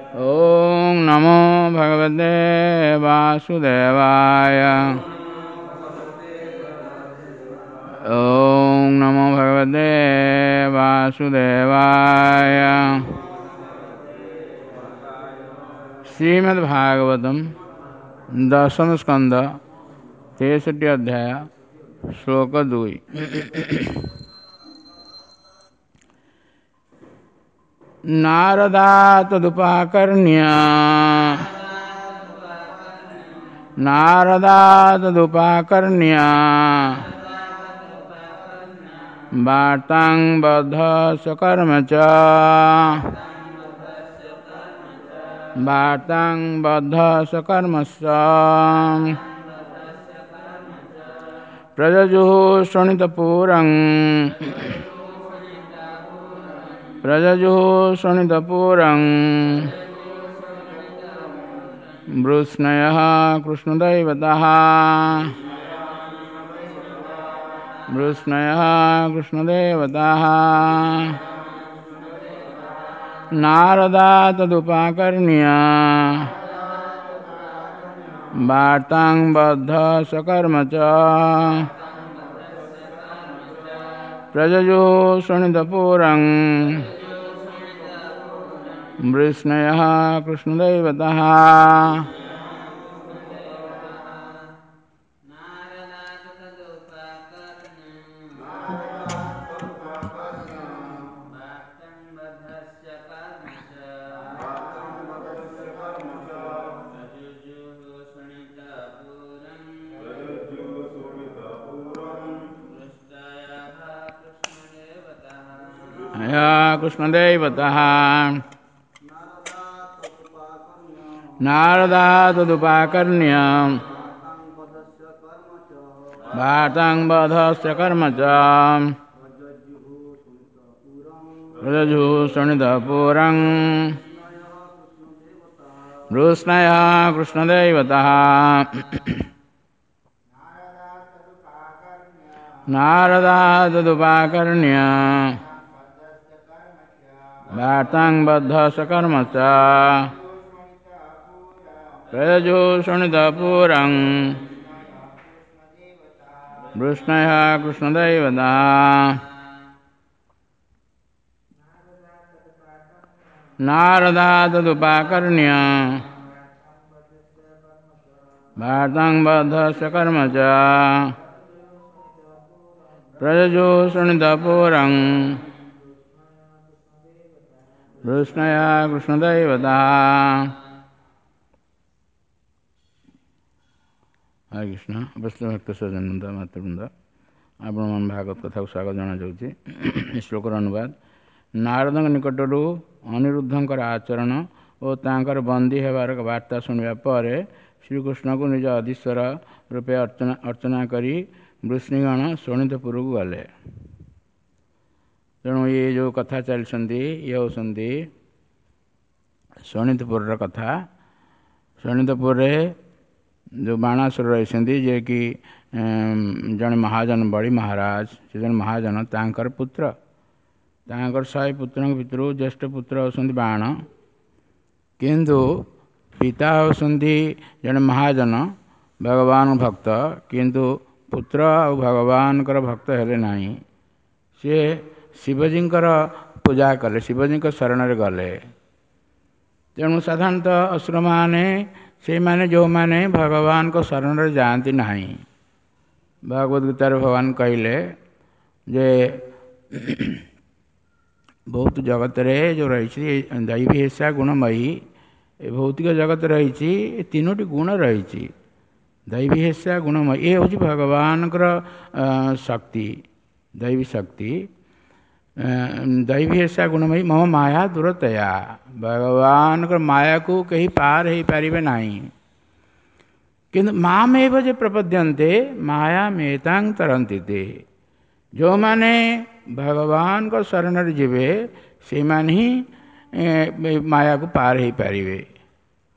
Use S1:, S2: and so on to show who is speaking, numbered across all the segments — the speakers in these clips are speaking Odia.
S1: ॐ नमो भगवते वासुदेवाय। ॐ नमो भगवते वासुदेवाय। श्रीमद्भागवतम दशम स्कंद 63 अध्याय श्लोक 2। नारदा तदुपाकर्ण्य नारदा तदुपाकर्ण्य वार्तां बद्धस्य कर्म च वार्तां बद्धस्य कर्मस्य प्रजजुः शोणितपुरं प्रजजुः शोणितपुरं वृष्णयः कृष्णदैवतः वृष्णयः कृष्णदेवताः। नारदा तदुपाकर्ण्य वार्तां बद्धस्य कर्म च प्रजजुः शोणितपुरं वृष्णयः कृष्णदैवतः। कृष्णदेवतः नारदा तदुपाकर्ण्य वार्तां बधस्य कर्म च प्रजजुः शोणितपुरं वृष्णयः कृष्णदेवतः। नारदा तदुपाकर्ण्य वार्तां बद्धस्य कर्म च प्रजजुः शोणितपुरं वृष्णयः कृष्णदैवतः। नारदा तदुपाकर्ण्य वार्तां बद्धस्य कर्म च प्रजजुः शोणितपुरं वृष्णयः कृष्णदैवतः। हरे कृष्ण। ବୈଷ୍ଣବ ଭକ୍ତ ସଜ୍ଜନବୃନ୍ଦ, ମାତୃବୃନ୍ଦ, ଆପଣମାନ ଭାଗବତ କଥାକୁ ସ୍ୱାଗତ ଜଣାଯାଉଛି। ଏ ଶ୍ଲୋକର ଅନୁବାଦ: ନାରଦଙ୍କ ନିକଟରୁ ଅନିରୁଦ୍ଧଙ୍କର ଆଚରଣ ଓ ତାଙ୍କର ବନ୍ଦୀ ହେବାର ବାର୍ତ୍ତା ଶୁଣିବା ପରେ ଶ୍ରୀକୃଷ୍ଣଙ୍କୁ ନିଜ ଅଧୀଶ୍ୱର ରୂପେ ଅର୍ଚ୍ଚନା କରି ବୃଷ୍ଣିଗଣ ଶୋଣିତପୁରକୁ ଗଲେ। ତେଣୁ ଇଏ ଯେଉଁ କଥା ଚାଲିଛନ୍ତି, ଇଏ ହେଉଛନ୍ତି ଶୋଣିତପୁରର କଥା। ଶୋଣିତପୁରରେ ଯେଉଁ ବାଣାସୁର ରହିଛନ୍ତି, ଯିଏକି ଜଣେ ମହାଜନ, ବଳି ମହାରାଜ, ସେ ଜଣେ ମହାଜନ, ତାଙ୍କର ପୁତ୍ର। ତାଙ୍କର 100 ପୁତ୍ରଙ୍କ ଭିତରୁ ଜ୍ୟେଷ୍ଠ ପୁତ୍ର ହେଉଛନ୍ତି ବାଣ। କିନ୍ତୁ ପିତା ହେଉଛନ୍ତି ଜଣେ ମହାଜନ, ଭଗବାନ ଭକ୍ତ, କିନ୍ତୁ ପୁତ୍ର ଆଉ ଭଗବାନଙ୍କର ଭକ୍ତ ହେଲେ ନାହିଁ। ସିଏ ଶିବଜୀଙ୍କର ପୂଜା କଲେ, ଶିବଜୀଙ୍କ ଶରଣରେ ଗଲେ। ତେଣୁ ସାଧାରଣତଃ ଅସୁରମାନେ ସେଇମାନେ ଯେଉଁମାନେ ଭଗବାନଙ୍କ ଶରଣରେ ଯାଆନ୍ତି ନାହିଁ। ଭଗବତ ଗୀତାରେ ଭଗବାନ କହିଲେ ଯେ ବହୁତ ଜଗତରେ ଯେଉଁ ରହିଛି ଦୈବୀ ହେସା ଗୁଣମୟୀ, ଏ ଭୌତିକ ଜଗତ ରହିଛି, ଏ ତିନୋଟି ଗୁଣ ରହିଛି। ଦୈବୀ ହେସା ଗୁଣମୟୀ, ଏ ହେଉଛି ଭଗବାନଙ୍କର ଶକ୍ତି, ଦୈବୀ ଶକ୍ତି। ଦୈବୀ ହେସା ଗୁଣମୟୀ ମମ ମାୟା ଦୂରତୟା, ଭଗବାନଙ୍କର ମାୟାକୁ କେହି ପାର ହେଇପାରିବେ ନାହିଁ। କିନ୍ତୁ ମାମେବ ଯେ ପ୍ରପଦ୍ୟନ୍ତେ ମାୟାମେତାଂ ତରନ୍ତି ତେ, ଯେଉଁମାନେ ଭଗବାନଙ୍କ ଶରଣରେ ଯିବେ ସେଇମାନେ ହିଁ ମାୟାକୁ ପାର ହେଇପାରିବେ।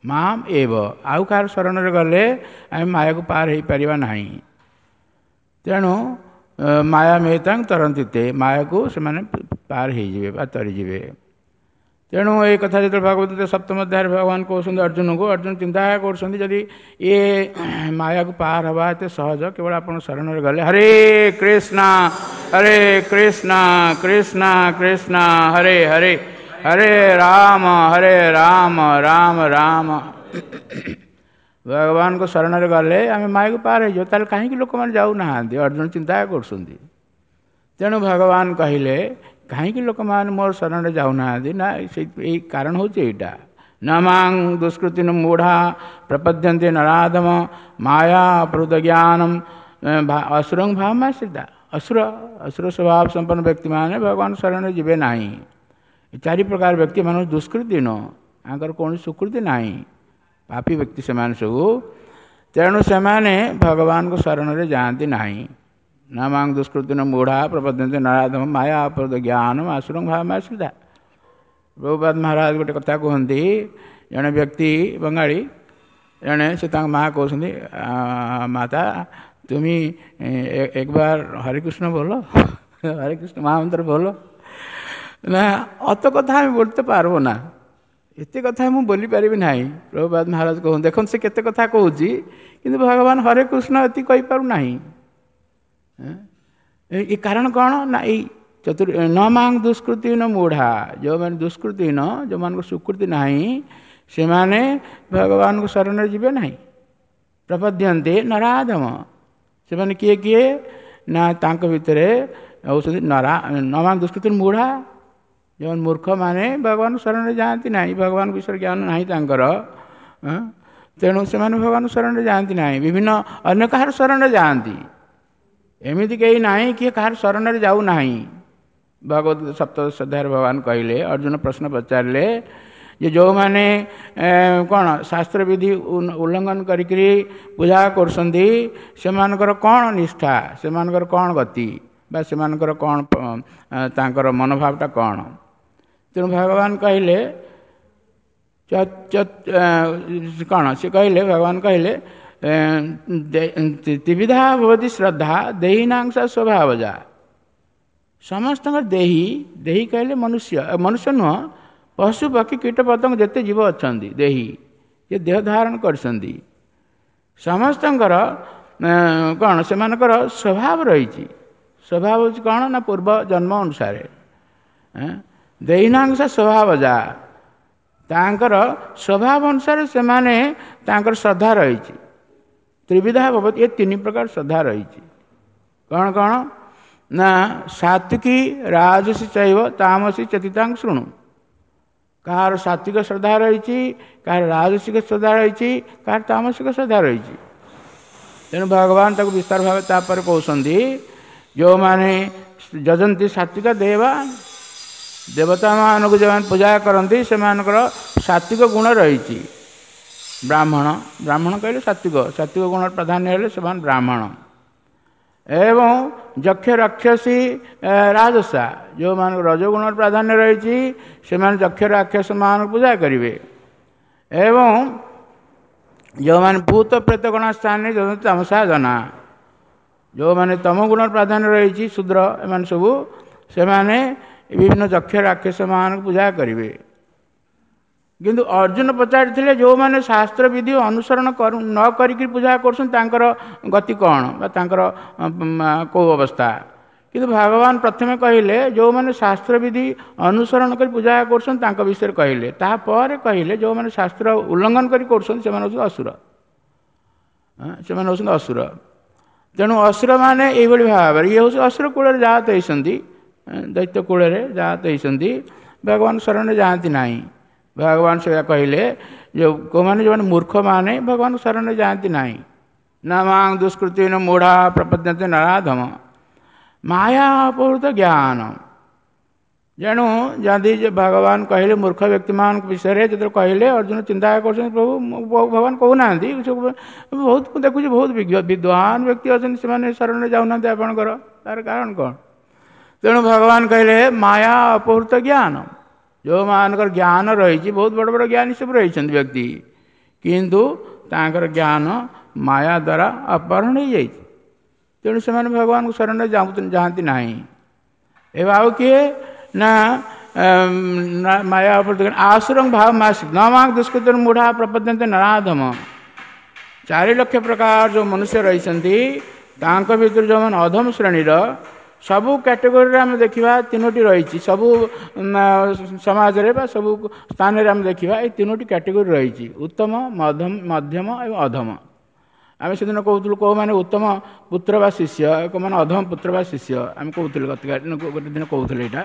S1: ମାମ୍ ଏବ, ଆଉ କାହାର ଶରଣରେ ଗଲେ ଆମେ ମାୟାକୁ ପାର ହେଇପାରିବା ନାହିଁ। ତେଣୁ ମାୟା ମେତାଂ ତରନ୍ତି ତେ, ମାୟାକୁ ସେମାନେ ପାର ହେଇଯିବେ ବା ତରିଯିବେ। ତେଣୁ ଏଇ କଥା ଯେତେବେଳେ ଭଗବତ ସପ୍ତମ ଅଧ୍ୟାୟରେ ଭଗବାନ କହୁଛନ୍ତି ଅର୍ଜୁନକୁ, ଅର୍ଜୁନ ଚିନ୍ତା କରୁଛନ୍ତି ଯଦି ଏ ମାୟାକୁ ପାର ହେବା ଏତେ ସହଜ, କେବଳ ଆପଣ ଶରଣରେ ଗଲେ। ହରେ କୃଷ୍ଣ ହରେ କୃଷ୍ଣ କୃଷ୍ଣ କୃଷ୍ଣ ହରେ ହରେ, ହରେ ରାମ ହରେ ରାମ ରାମ ରାମ। ଭଗବାନଙ୍କ ଶରଣରେ ଗଲେ ଆମେ ମାୟାକୁ ପାର ହେଇଯିବ, ତାହେଲେ କାହିଁକି ଲୋକମାନେ ଯାଉନାହାନ୍ତି? ଅର୍ଜୁନ ଚିନ୍ତା କରୁଛନ୍ତି। ତେଣୁ ଭଗବାନ କହିଲେ କାହିଁକି ଲୋକମାନେ ମୋର ଶରଣରେ ଯାଉନାହାନ୍ତି ନା, ସେଇ ଏଇ କାରଣ ହେଉଛି ଏଇଟା। ନ ମାଂ ଦୁଷ୍କୃତିନ ମୂଢ଼ା ପ୍ରପଦ୍ୟନ୍ତେ ନରାଧମ ମାୟା ଅପହୃତ ଜ୍ଞାନମ ଅସୁରଂ ଭାବମାଶ୍ରିତା। ଅସୁର ଅସୁର ସ୍ୱଭାବ ସମ୍ପନ୍ନ ବ୍ୟକ୍ତିମାନେ ଭଗବାନ ଶରଣରେ ଯିବେ ନାହିଁ। ଚାରି ପ୍ରକାର ବ୍ୟକ୍ତିମାନଙ୍କୁ ଦୁଷ୍କୃତି ନୁହଁ, ତାଙ୍କର କୌଣସି ସ୍ୱୀକୃତି ନାହିଁ, ପାପୀ ବ୍ୟକ୍ତି ସେମାନେ ସବୁ। ତେଣୁ ସେମାନେ ଭଗବାନଙ୍କ ଶରଣରେ ଯାଆନ୍ତି ନାହିଁ। ନ ମାଂ ଦୁଷ୍କୃତିନ ମୂଢ଼ା ପ୍ରପଦ୍ୟନ୍ତେ ନରାଧମ ମାୟା ଅପହୃତ ଜ୍ଞାନମ ଅସୁରଂ ଭାବମାଶ୍ରିତା। ପ୍ରଭୁପାଦ ମହାରାଜ ଗୋଟେ କଥା କୁହନ୍ତି, ଜଣେ ବ୍ୟକ୍ତି ବଙ୍ଗାଳୀ ଜଣେ, ସେ ତାଙ୍କ ମା କହୁଛନ୍ତି, ମାତା তুমি একবার হরে কৃষ্ণ বলো, হরে কৃষ্ণ মহামন্ত্র বলো। না, অত কথা আমি বলতে পারবো না, ଏତେ କଥା ମୁଁ ବୋଲିପାରିବି ନାହିଁ। ପ୍ରଭୁପାଦ ମହାରାଜ କହୁଛନ୍ତି, ଦେଖନ୍ତୁ ସେ କେତେ କଥା କହୁଛି, କିନ୍ତୁ ଭଗବାନ ହରେ କୃଷ୍ଣ ଏତିକି କହିପାରୁନାହିଁ। ଏ କାରଣ କ'ଣ ନା, ଏଇ ଚତୁର୍ ନ ମାଂ ଦୁଷ୍କୃତିନ ମୂଢ଼ା, ଯେଉଁମାନେ ଦୁଷ୍କୃତିନ, ଯେଉଁମାନଙ୍କ ସ୍ୱୀକୃତି ନାହିଁ, ସେମାନେ ଭଗବାନଙ୍କ ଶରଣରେ ଯିବେ ନାହିଁ। ପ୍ରପଦ୍ୟନ୍ତେ ନରାଧମ, ସେମାନେ କିଏ କିଏ ନା ତାଙ୍କ ଭିତରେ ହେଉଛନ୍ତି ନରା ନ ମାଂ ଦୁଷ୍କୃତି ମୂଢ଼ା, ଯେଉଁମାନେ ମୂର୍ଖମାନେ ଭଗବାନ ଶରଣରେ ଯାଆନ୍ତି ନାହିଁ, ଭଗବାନ ବିଷୟରେ ଜ୍ଞାନ ନାହିଁ ତାଙ୍କର, ତେଣୁ ସେମାନେ ଭଗବାନ ଶରଣରେ ଯାଆନ୍ତି ନାହିଁ, ବିଭିନ୍ନ ଅନ୍ୟ କାହାର ଶରଣରେ ଯାଆନ୍ତି। ଏମିତି କେହି ନାହିଁ କିଏ କାହାର ଶରଣରେ ଯାଉନାହିଁ। ଭଗବତ ସପ୍ତଦଶ ଅଧ୍ୟାୟରେ ଭଗବାନ କହିଲେ, ଅର୍ଜୁନ ପ୍ରଶ୍ନ ପଚାରିଲେ ଯେ ଯେଉଁମାନେ କ'ଣ ଶାସ୍ତ୍ରବିଧି ଉଲ୍ଲଙ୍ଘନ କରିକିରି ପୂଜା କରୁଛନ୍ତି, ସେମାନଙ୍କର କ'ଣ ନିଷ୍ଠା, ସେମାନଙ୍କର କ'ଣ ଗତି, ବା ସେମାନଙ୍କର କ'ଣ ତାଙ୍କର ମନୋଭାବଟା କ'ଣ? ତେଣୁ ଭଗବାନ କହିଲେ କ'ଣ ସେ କହିଲେ, ଭଗବାନ କହିଲେ ତ୍ରିବିଧା ଭବତି ଶ୍ରଦ୍ଧା ଦେହିନାଂଶ ସ୍ୱଭାବଜା। ସମସ୍ତଙ୍କର ଦେହି, ଦେହି କହିଲେ ମନୁଷ୍ୟ, ମନୁଷ୍ୟ ନୁହଁ, ପଶୁ ପକ୍ଷୀ କୀଟ ପତଙ୍ଗ ଯେତେ ଜୀବ ଅଛନ୍ତି, ଦେହି ଯେ ଦେହ ଧାରଣ କରିଛନ୍ତି, ସମସ୍ତଙ୍କର କ'ଣ ସେମାନଙ୍କର ସ୍ୱଭାବ ରହିଛି। ସ୍ୱଭାବ ହେଉଛି କ'ଣ ନା ପୂର୍ବ ଜନ୍ମ ଅନୁସାରେ ଦେହିନାଂଶ ସ୍ୱଭାବଜା, ତାଙ୍କର ସ୍ୱଭାବ ଅନୁସାରେ ସେମାନେ ତାଙ୍କର ଶ୍ରଦ୍ଧା ରହିଛି। ତ୍ରିବିଧା ଭବତି, ଏ ତିନି ପ୍ରକାର ଶ୍ରଦ୍ଧା ରହିଛି। କ'ଣ କ'ଣ ନା ସାତ୍ୱିକୀ ରାଜସୀ ଚୈବ ତାମସୀ ଚେତିତାଂ ଶୃଣୁ। କାହାର ସାତ୍ୱିକ ଶ୍ରଦ୍ଧା ରହିଛି, କାହାର ରାଜସିକ ଶ୍ରଦ୍ଧା ରହିଛି, କାହାର ତାମସିକ ଶ୍ରଦ୍ଧା ରହିଛି। ତେଣୁ ଭଗବାନ ତାକୁ ବିସ୍ତାର ଭାବେ ତାପରେ କହୁଛନ୍ତି, ଯେଉଁମାନେ ଯଜନ୍ତି ସାତ୍ୱିକ ଦେବା, ଦେବତାମାନଙ୍କୁ ଯେଉଁମାନେ ପୂଜା କରନ୍ତି ସେମାନଙ୍କର ସାତ୍ୱିକ ଗୁଣ ରହିଛି। ବ୍ରାହ୍ମଣ, ବ୍ରାହ୍ମଣ କହିଲେ ସାତ୍ୱିକ, ସାତ୍ୱିକ ଗୁଣର ପ୍ରାଧାନ୍ୟ ହେଲେ ସେମାନେ ବ୍ରାହ୍ମଣ। ଏବଂ ଯକ୍ଷ ରାକ୍ଷସୀ ରାଜସା, ଯେଉଁମାନଙ୍କୁ ରଜଗୁଣର ପ୍ରାଧାନ୍ୟ ରହିଛି ସେମାନେ ଯକ୍ଷ ରାକ୍ଷସମାନଙ୍କୁ ପୂଜା କରିବେ। ଏବଂ ଯେଉଁମାନେ ଭୂତ ପ୍ରେତ ଗଣ ସ୍ଥାନରେ ତମସା ଜନା, ଯେଉଁମାନେ ତମ ଗୁଣର ପ୍ରାଧାନ୍ୟ ରହିଛି ଶୂଦ୍ର, ଏମାନେ ସବୁ ସେମାନେ ବିଭିନ୍ନ ଯକ୍ଷ ରାକ୍ଷସମାନଙ୍କୁ ପୂଜା କରିବେ। କିନ୍ତୁ ଅର୍ଜୁନ ପଚାରିଥିଲେ ଯେଉଁମାନେ ଶାସ୍ତ୍ର ବିଧି ଅନୁସରଣ ନ କରିକି ପୂଜା କରୁଛନ୍ତି ତାଙ୍କର ଗତି କ'ଣ ବା ତାଙ୍କର କେଉଁ ଅବସ୍ଥା? କିନ୍ତୁ ଭଗବାନ ପ୍ରଥମେ କହିଲେ ଯେଉଁମାନେ ଶାସ୍ତ୍ର ବିଧି ଅନୁସରଣ କରି ପୂଜା କରୁଛନ୍ତି ତାଙ୍କ ବିଷୟରେ କହିଲେ, ତାପରେ କହିଲେ ଯେଉଁମାନେ ଶାସ୍ତ୍ର ଉଲ୍ଲଙ୍ଘନ କରି କରୁଛନ୍ତି ସେମାନେ ହେଉଛନ୍ତି ଅସୁର, ସେମାନେ ହେଉଛନ୍ତି ଅସୁର। ତେଣୁ ଅସୁରମାନେ ଏଇଭଳି ଭାବରେ ଇଏ ହେଉଛି ଅସୁର କୂଳରେ ଜାତ ହେଇଛନ୍ତି, ଦୈତ୍ୟ କୂଳରେ ଜାତ ହେଇଛନ୍ତି, ଭଗବାନ ଶରଣରେ ଯାଆନ୍ତି ନାହିଁ। ଭଗବାନ ସେଇଆ କହିଲେ ଯେଉଁ କେଉଁମାନେ ଯେଉଁମାନେ ମୂର୍ଖମାନେ ଭଗବାନ ଶରଣରେ ଯାଆନ୍ତି ନାହିଁ। ନା ମାଂ ଦୁଷ୍କୃତିନ ମୂଢ଼ା ପ୍ରପଦ୍ୟନ୍ତେ ନରାଧମ ମାୟା ଅପହୃତ ଜ୍ଞାନ। ତେଣୁ ଯଦି ଭଗବାନ କହିଲେ ମୂର୍ଖ ବ୍ୟକ୍ତିମାନଙ୍କ ବିଷୟରେ ଯେତେବେଳେ କହିଲେ, ଅର୍ଜୁନ ଚିନ୍ତା କରୁଛନ୍ତି ପ୍ରଭୁ ଭଗବାନ କହୁନାହାନ୍ତି, ବହୁତ ମୁଁ ଦେଖୁଛି ବହୁତ ବିଦ୍ୱାନ ବ୍ୟକ୍ତି ଅଛନ୍ତି ସେମାନେ ଶରଣରେ ଯାଉନାହାନ୍ତି ଆପଣଙ୍କର, ତାର କାରଣ କ'ଣ? ତେଣୁ ଭଗବାନ କହିଲେ ମାୟା ଅପହୃତ ଜ୍ଞାନ, ଯେଉଁମାନଙ୍କର ଜ୍ଞାନ ରହିଛି, ବହୁତ ବଡ଼ ବଡ଼ ଜ୍ଞାନୀ ସବୁ ରହିଛନ୍ତି ବ୍ୟକ୍ତି, କିନ୍ତୁ ତାଙ୍କର ଜ୍ଞାନ ମାୟା ଦ୍ୱାରା ଅପହରଣ ହେଇଯାଇଛି, ତେଣୁ ସେମାନେ ଭଗବାନଙ୍କ ଶରଣରେ ଯାଆନ୍ତି ନାହିଁ। ଏବେ ଆଉ କିଏ ନା ମାୟା ଆସୁରଂ ଭାବ ମାସିକ ନ ମାଂ ଦୁଷ୍କୃତ ମୂଢ଼ା ପ୍ରପଦ୍ୟନ୍ତେ ନରାଧମ। 4 ଲକ୍ଷ ପ୍ରକାର ଯେଉଁ ମନୁଷ୍ୟ ରହିଛନ୍ତି ତାଙ୍କ ଭିତରୁ ଯେଉଁମାନେ ଅଧମ ଶ୍ରେଣୀର, ସବୁ କ୍ୟାଟେଗୋରୀରେ ଆମେ ଦେଖିବା 3ଟି ରହିଛି। ସବୁ ସମାଜରେ ବା ସବୁ ସ୍ଥାନରେ ଆମେ ଦେଖିବା ଏଇ 3ଟି କ୍ୟାଟେଗୋରୀ ରହିଛି, ଉତ୍ତମ, ମଧ୍ୟମ ଏବଂ ଅଧମ। ଆମେ ସେଦିନ କହୁଥିଲୁ କେଉଁମାନେ ଉତ୍ତମ ପୁତ୍ର ବା ଶିଷ୍ୟ, କେଉଁମାନେ ଅଧମ ପୁତ୍ର ବା ଶିଷ୍ୟ, ଆମେ କହୁଥିଲୁ ଗୋଟେ ଦିନ କହୁଥିଲେ ଏଇଟା।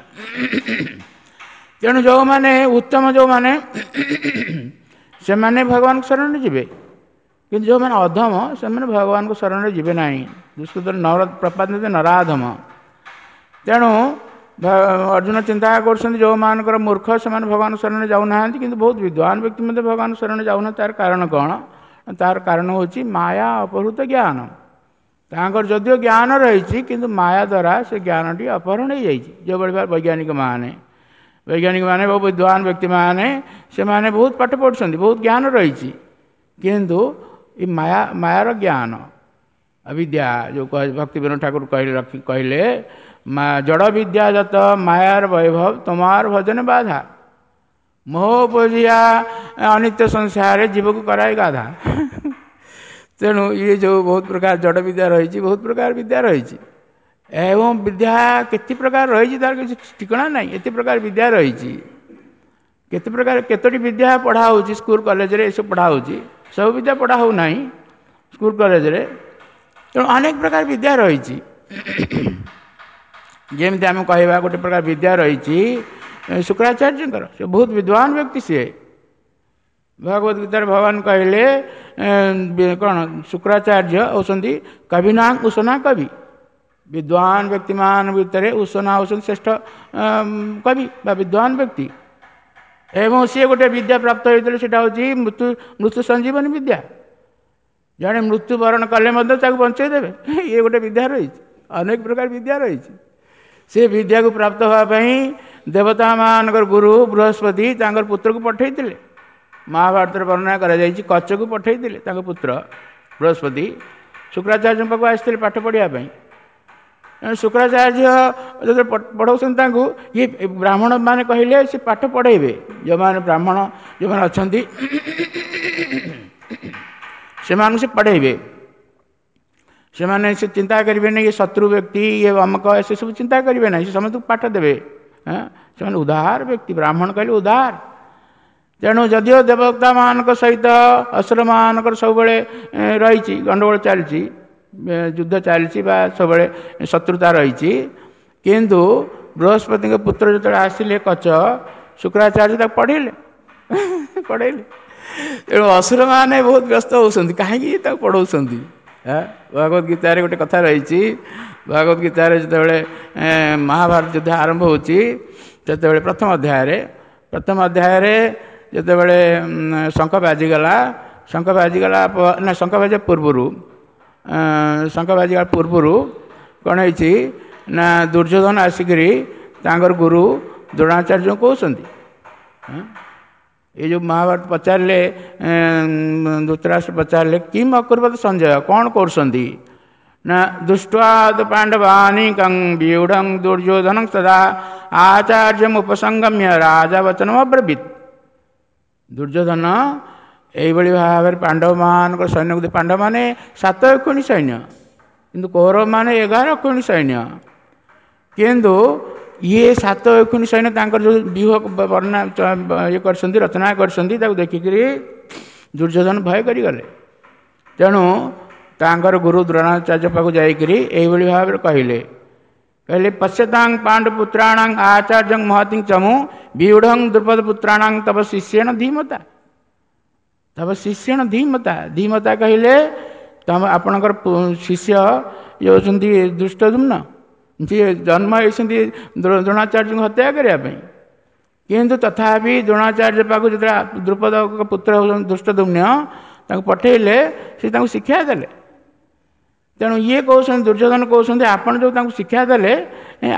S1: ତେଣୁ ଯେଉଁମାନେ ଉତ୍ତମ, ଯେଉଁମାନେ ସେମାନେ ଭଗବାନଙ୍କ ଶରଣରେ ଯିବେ, କିନ୍ତୁ ଯେଉଁମାନେ ଅଧମ ସେମାନେ ଭଗବାନଙ୍କ ଶରଣରେ ଯିବେ ନାହିଁ। ଦୁଷ୍କୃତ ନର ପ୍ରପାତ ନରାଧମ। ତେଣୁ ଅର୍ଜୁନ ଚିନ୍ତା କରୁଛନ୍ତି ଯେଉଁମାନଙ୍କର ମୂର୍ଖ ସେମାନେ ଭଗବାନ ଶରଣରେ ଯାଉନାହାନ୍ତି, କିନ୍ତୁ ବହୁତ ବିଦ୍ୱାନ ବ୍ୟକ୍ତି ମଧ୍ୟ ଭଗବାନ ଶରଣରେ ଯାଉନାହାନ୍ତି। ତାର କାରଣ କ'ଣ? ତାର କାରଣ ହେଉଛି ମାୟା ଅପହୃତ ଜ୍ଞାନ। ତାଙ୍କର ଯଦିଓ ଜ୍ଞାନ ରହିଛି, କିନ୍ତୁ ମାୟା ଦ୍ୱାରା ସେ ଜ୍ଞାନଟି ଅପହରଣ ହେଇଯାଇଛି। ଯେଉଁଭଳି ଭାବେ ବୈଜ୍ଞାନିକମାନେ ବହୁ ବିଦ୍ୱାନ ବ୍ୟକ୍ତିମାନେ ସେମାନେ ବହୁତ ପାଠ ପଢ଼ୁଛନ୍ତି, ବହୁତ ଜ୍ଞାନ ରହିଛି, କିନ୍ତୁ ଏ ମାୟାର ଜ୍ଞାନ ଅବିଦ୍ୟା, ଯେଉଁ ଭକ୍ତି ବିନୋଦ ଠାକୁର କହିଲେ ଜଡ଼ ବିଦ୍ୟା ଯତ ମାୟାର ବୈଭବ ତୁମାର ଭଜନ ବାଧା, ମୋହ ଉପଜିଆ ଅନିତ୍ୟ ସଂସାରରେ ଜୀବକୁ କରାଇ ଗାଧା। ତେଣୁ ଇଏ ଯେଉଁ ବହୁତ ପ୍ରକାର ଜଡ଼ ବିଦ୍ୟା ରହିଛି, ବହୁତ ପ୍ରକାର ବିଦ୍ୟା ରହିଛି, ଏବଂ ବିଦ୍ୟା କେତେ ପ୍ରକାର ରହିଛି ତାର କିଛି ଠିକଣା ନାହିଁ। ଏତେ ପ୍ରକାର ବିଦ୍ୟା ରହିଛି, କେତେ ପ୍ରକାର କେତୋଟି ବିଦ୍ୟା ପଢ଼ା ହେଉଛି ସ୍କୁଲ କଲେଜରେ, ଏସବୁ ପଢ଼ା ହେଉଛି, ସବୁ ବିଦ୍ୟା ପଢ଼ା ହେଉନାହିଁ ସ୍କୁଲ କଲେଜରେ। ତେଣୁ ଅନେକ ପ୍ରକାର ବିଦ୍ୟା ରହିଛି। ଯେମିତି ଆମେ କହିବା ଗୋଟେ ପ୍ରକାର ବିଦ୍ୟା ରହିଛି ଶୁକ୍ରାଚାର୍ଯ୍ୟଙ୍କର, ସେ ବହୁତ ବିଦ୍ୱାନ ବ୍ୟକ୍ତି। ସିଏ ଭଗବତ ଗୀତାରେ ଭଗବାନ କହିଲେ କ'ଣ, ଶୁକ୍ରାଚାର୍ଯ୍ୟ ହେଉଛନ୍ତି କବିନାଂ ଉଷନା କବି। ବିଦ୍ୱାନ ବ୍ୟକ୍ତିମାନଙ୍କ ଭିତରେ ଉଷନା ହେଉଛନ୍ତି ଶ୍ରେଷ୍ଠ କବି ବା ବିଦ୍ୱାନ ବ୍ୟକ୍ତି। ଏବଂ ସିଏ ଗୋଟେ ବିଦ୍ୟା ପ୍ରାପ୍ତ ହୋଇଥିଲେ, ସେଇଟା ହେଉଛି ମୃତ୍ୟୁ ସଞ୍ଜୀବନୀ ବିଦ୍ୟା। ଜଣେ ମୃତ୍ୟୁବରଣ କଲେ ମଧ୍ୟ ତାକୁ ବଞ୍ଚେଇ ଦେବେ, ଇଏ ଗୋଟେ ବିଦ୍ୟା ରହିଛି। ଅନେକ ପ୍ରକାର ବିଦ୍ୟା ରହିଛି। ସେ ବିଦ୍ୟାକୁ ପ୍ରାପ୍ତ ହେବା ପାଇଁ ଦେବତାମାନଙ୍କର ଗୁରୁ ବୃହସ୍ପତି ତାଙ୍କର ପୁତ୍ରକୁ ପଠାଇଥିଲେ। ମହାଭାରତରେ ବର୍ଣ୍ଣନା କରାଯାଇଛି, କଚକୁ ପଠାଇଥିଲେ ତାଙ୍କ ପୁତ୍ର ବୃହସ୍ପତି ଶୁକ୍ରାଚାର୍ଯ୍ୟଙ୍କ ପାଖକୁ ଆସିଥିଲେ ପାଠ ପଢ଼ିବା ପାଇଁ। ଶୁକ୍ରାଚାର୍ଯ୍ୟ ଯେତେବେଳେ ପଢ଼ାଉଛନ୍ତି ତାଙ୍କୁ, ଇଏ ବ୍ରାହ୍ମଣମାନେ କହିଲେ ସେ ପାଠ ପଢ଼େଇବେ, ଯେଉଁମାନେ ବ୍ରାହ୍ମଣ ଯେଉଁମାନେ ଅଛନ୍ତି ସେମାନଙ୍କୁ ସେ ପଢ଼େଇବେ। ସେମାନେ ସେ ଚିନ୍ତା କରିବେ ନାହିଁ ଇଏ ଶତ୍ରୁ ବ୍ୟକ୍ତି, ଇଏ ଅମକ, ସେସବୁ ଚିନ୍ତା କରିବେ ନାହିଁ, ସେ ସମସ୍ତଙ୍କୁ ପାଠ ଦେବେ। ସେମାନେ ଉଦାର ବ୍ୟକ୍ତି, ବ୍ରାହ୍ମଣ କହିଲେ ଉଦାର। ତେଣୁ ଯଦିଓ ଦେବତାମାନଙ୍କ ସହିତ ଅସୁରମାନଙ୍କର ସବୁବେଳେ ରହିଛି ଗଣ୍ଡଗୋଳ ଚାଲିଛି, ଯୁଦ୍ଧ ଚାଲିଛି ବା ସବୁବେଳେ ଶତ୍ରୁତା ରହିଛି, କିନ୍ତୁ ବୃହସ୍ପତିଙ୍କ ପୁତ୍ର ଯେତେବେଳେ ଆସିଲେ କଚ, ଶୁକ୍ରାଚାର୍ଯ୍ୟ ତାକୁ ପଢ଼େଇଲେ ପଢ଼େଇଲେ। ତେଣୁ ଅସୁରମାନେ ବହୁତ ବ୍ୟସ୍ତ ହେଉଛନ୍ତି, କାହିଁକି ତାକୁ ପଢ଼ଉଛନ୍ତି। ଭଗବତ ଗୀତାରେ ଗୋଟେ କଥା ରହିଛି। ଭଗବତ ଗୀତାରେ ଯେତେବେଳେ ମହାଭାରତ ଯୁଦ୍ଧ ଆରମ୍ଭ ହେଉଛି, ସେତେବେଳେ ପ୍ରଥମ ଅଧ୍ୟାୟରେ ଯେତେବେଳେ ଶଙ୍ଖ ବାଜିଗଲା, ଶଙ୍ଖ ବାଜିଗଲା ନା ଶଙ୍ଖ ବାଜିବା ପୂର୍ବରୁ, ଶଙ୍ଖ ବାଜିବା ପୂର୍ବରୁ କ'ଣ ହେଇଛି ନା ଦୁର୍ଯ୍ୟୋଧନ ଆସିକରି ତାଙ୍କର ଗୁରୁ ଦ୍ରୋଣାଚାର୍ଯ୍ୟଙ୍କୁ କହୁଛନ୍ତି। ଏ ଯେଉଁ ମହାଭାରତ ପଚାରିଲେ, ଧୃତରାଷ୍ଟ୍ର ପଚାରିଲେ କିମ୍ ଅକୁର୍ବତ ସଞ୍ଜୟ, କ'ଣ କରୁଛନ୍ତି ନା ଦୃଷ୍ଟ୍ୱାଦ ପାଣ୍ଡବାନିକଂ ବିଉଢ଼ଂ ଦୁର୍ଯ୍ୟୋଧନଂ ତଦା ଆଚାର୍ଯ୍ୟମ ଉପସଙ୍ଗମ୍ୟ ରାଜା ବଚନମ ଅବ୍ରବୀତ୍। ଦୁର୍ଯ୍ୟୋଧନ ଏଇଭଳି ଭାବରେ ପାଣ୍ଡବମାନଙ୍କର ସୈନ୍ୟକୁ, ପାଣ୍ଡବମାନେ 7 ଅକ୍ଷୌହିଣୀ ସୈନ୍ୟ, କିନ୍ତୁ କୌରବମାନେ 11 ଅକ୍ଷୌହିଣୀ ସୈନ୍ୟ, କିନ୍ତୁ ଇଏ 7 ଅକ୍ଷୌହିଣୀ ସୈନ୍ୟ ତାଙ୍କର ଯେଉଁ ବ୍ୟୁହ ବର୍ଣ୍ଣନା ଇଏ କରିଛନ୍ତି, ରଚନା କରିଛନ୍ତି, ତାକୁ ଦେଖିକରି ଦୁର୍ଯ୍ୟୋଧନ ଭୟ କରିଗଲେ। ତେଣୁ ତାଙ୍କର ଗୁରୁ ଦ୍ରୋଣାଚାର୍ଯ୍ୟ ପାଖକୁ ଯାଇକରି ଏଇଭଳି ଭାବରେ କହିଲେ, କହିଲେ ପଶ୍ୟତାଂ ପାଣ୍ଡୁପୁତ୍ରାଣାଂ ଆଚାର୍ଯ୍ୟଂ ମହତିଂ ଚମୁ ବିଉଢ଼ଂ ଦ୍ରୁପଦ ପୁତ୍ରାଣାଂ ତବ ଶିଷ୍ୟେଣ ଧୀମତା। ତବ ଶିଷ୍ୟେଣ ଧୀମତା, ଧୀମତା କହିଲେ ତମ ଆପଣଙ୍କର ଶିଷ୍ୟ ଇଏ ହେଉଛନ୍ତି ଦୁଷ୍ଟଦ୍ୟୁମ୍ନ, ଯିଏ ଜନ୍ମ ହେଇଛନ୍ତି ଦ୍ରୋଣାଚାର୍ଯ୍ୟଙ୍କୁ ହତ୍ୟା କରିବା ପାଇଁ, କିନ୍ତୁ ତଥାପି ଦ୍ରୋଣାଚାର୍ଯ୍ୟ ପାଖକୁ ଯେତେବେଳେ ଦ୍ରୁପଦଙ୍କ ପୁତ୍ର ହେଉଛନ୍ତି ଦୁଷ୍ଟଦ୍ୟୁମ୍ନ, ତାଙ୍କୁ ପଠେଇଲେ, ସେ ତାଙ୍କୁ ଶିକ୍ଷା ଦେଲେ। ତେଣୁ ଇଏ କହୁଛନ୍ତି, ଦୁର୍ଯ୍ୟୋଧନ କହୁଛନ୍ତି ଆପଣ ଯେଉଁ ତାଙ୍କୁ ଶିକ୍ଷା ଦେଲେ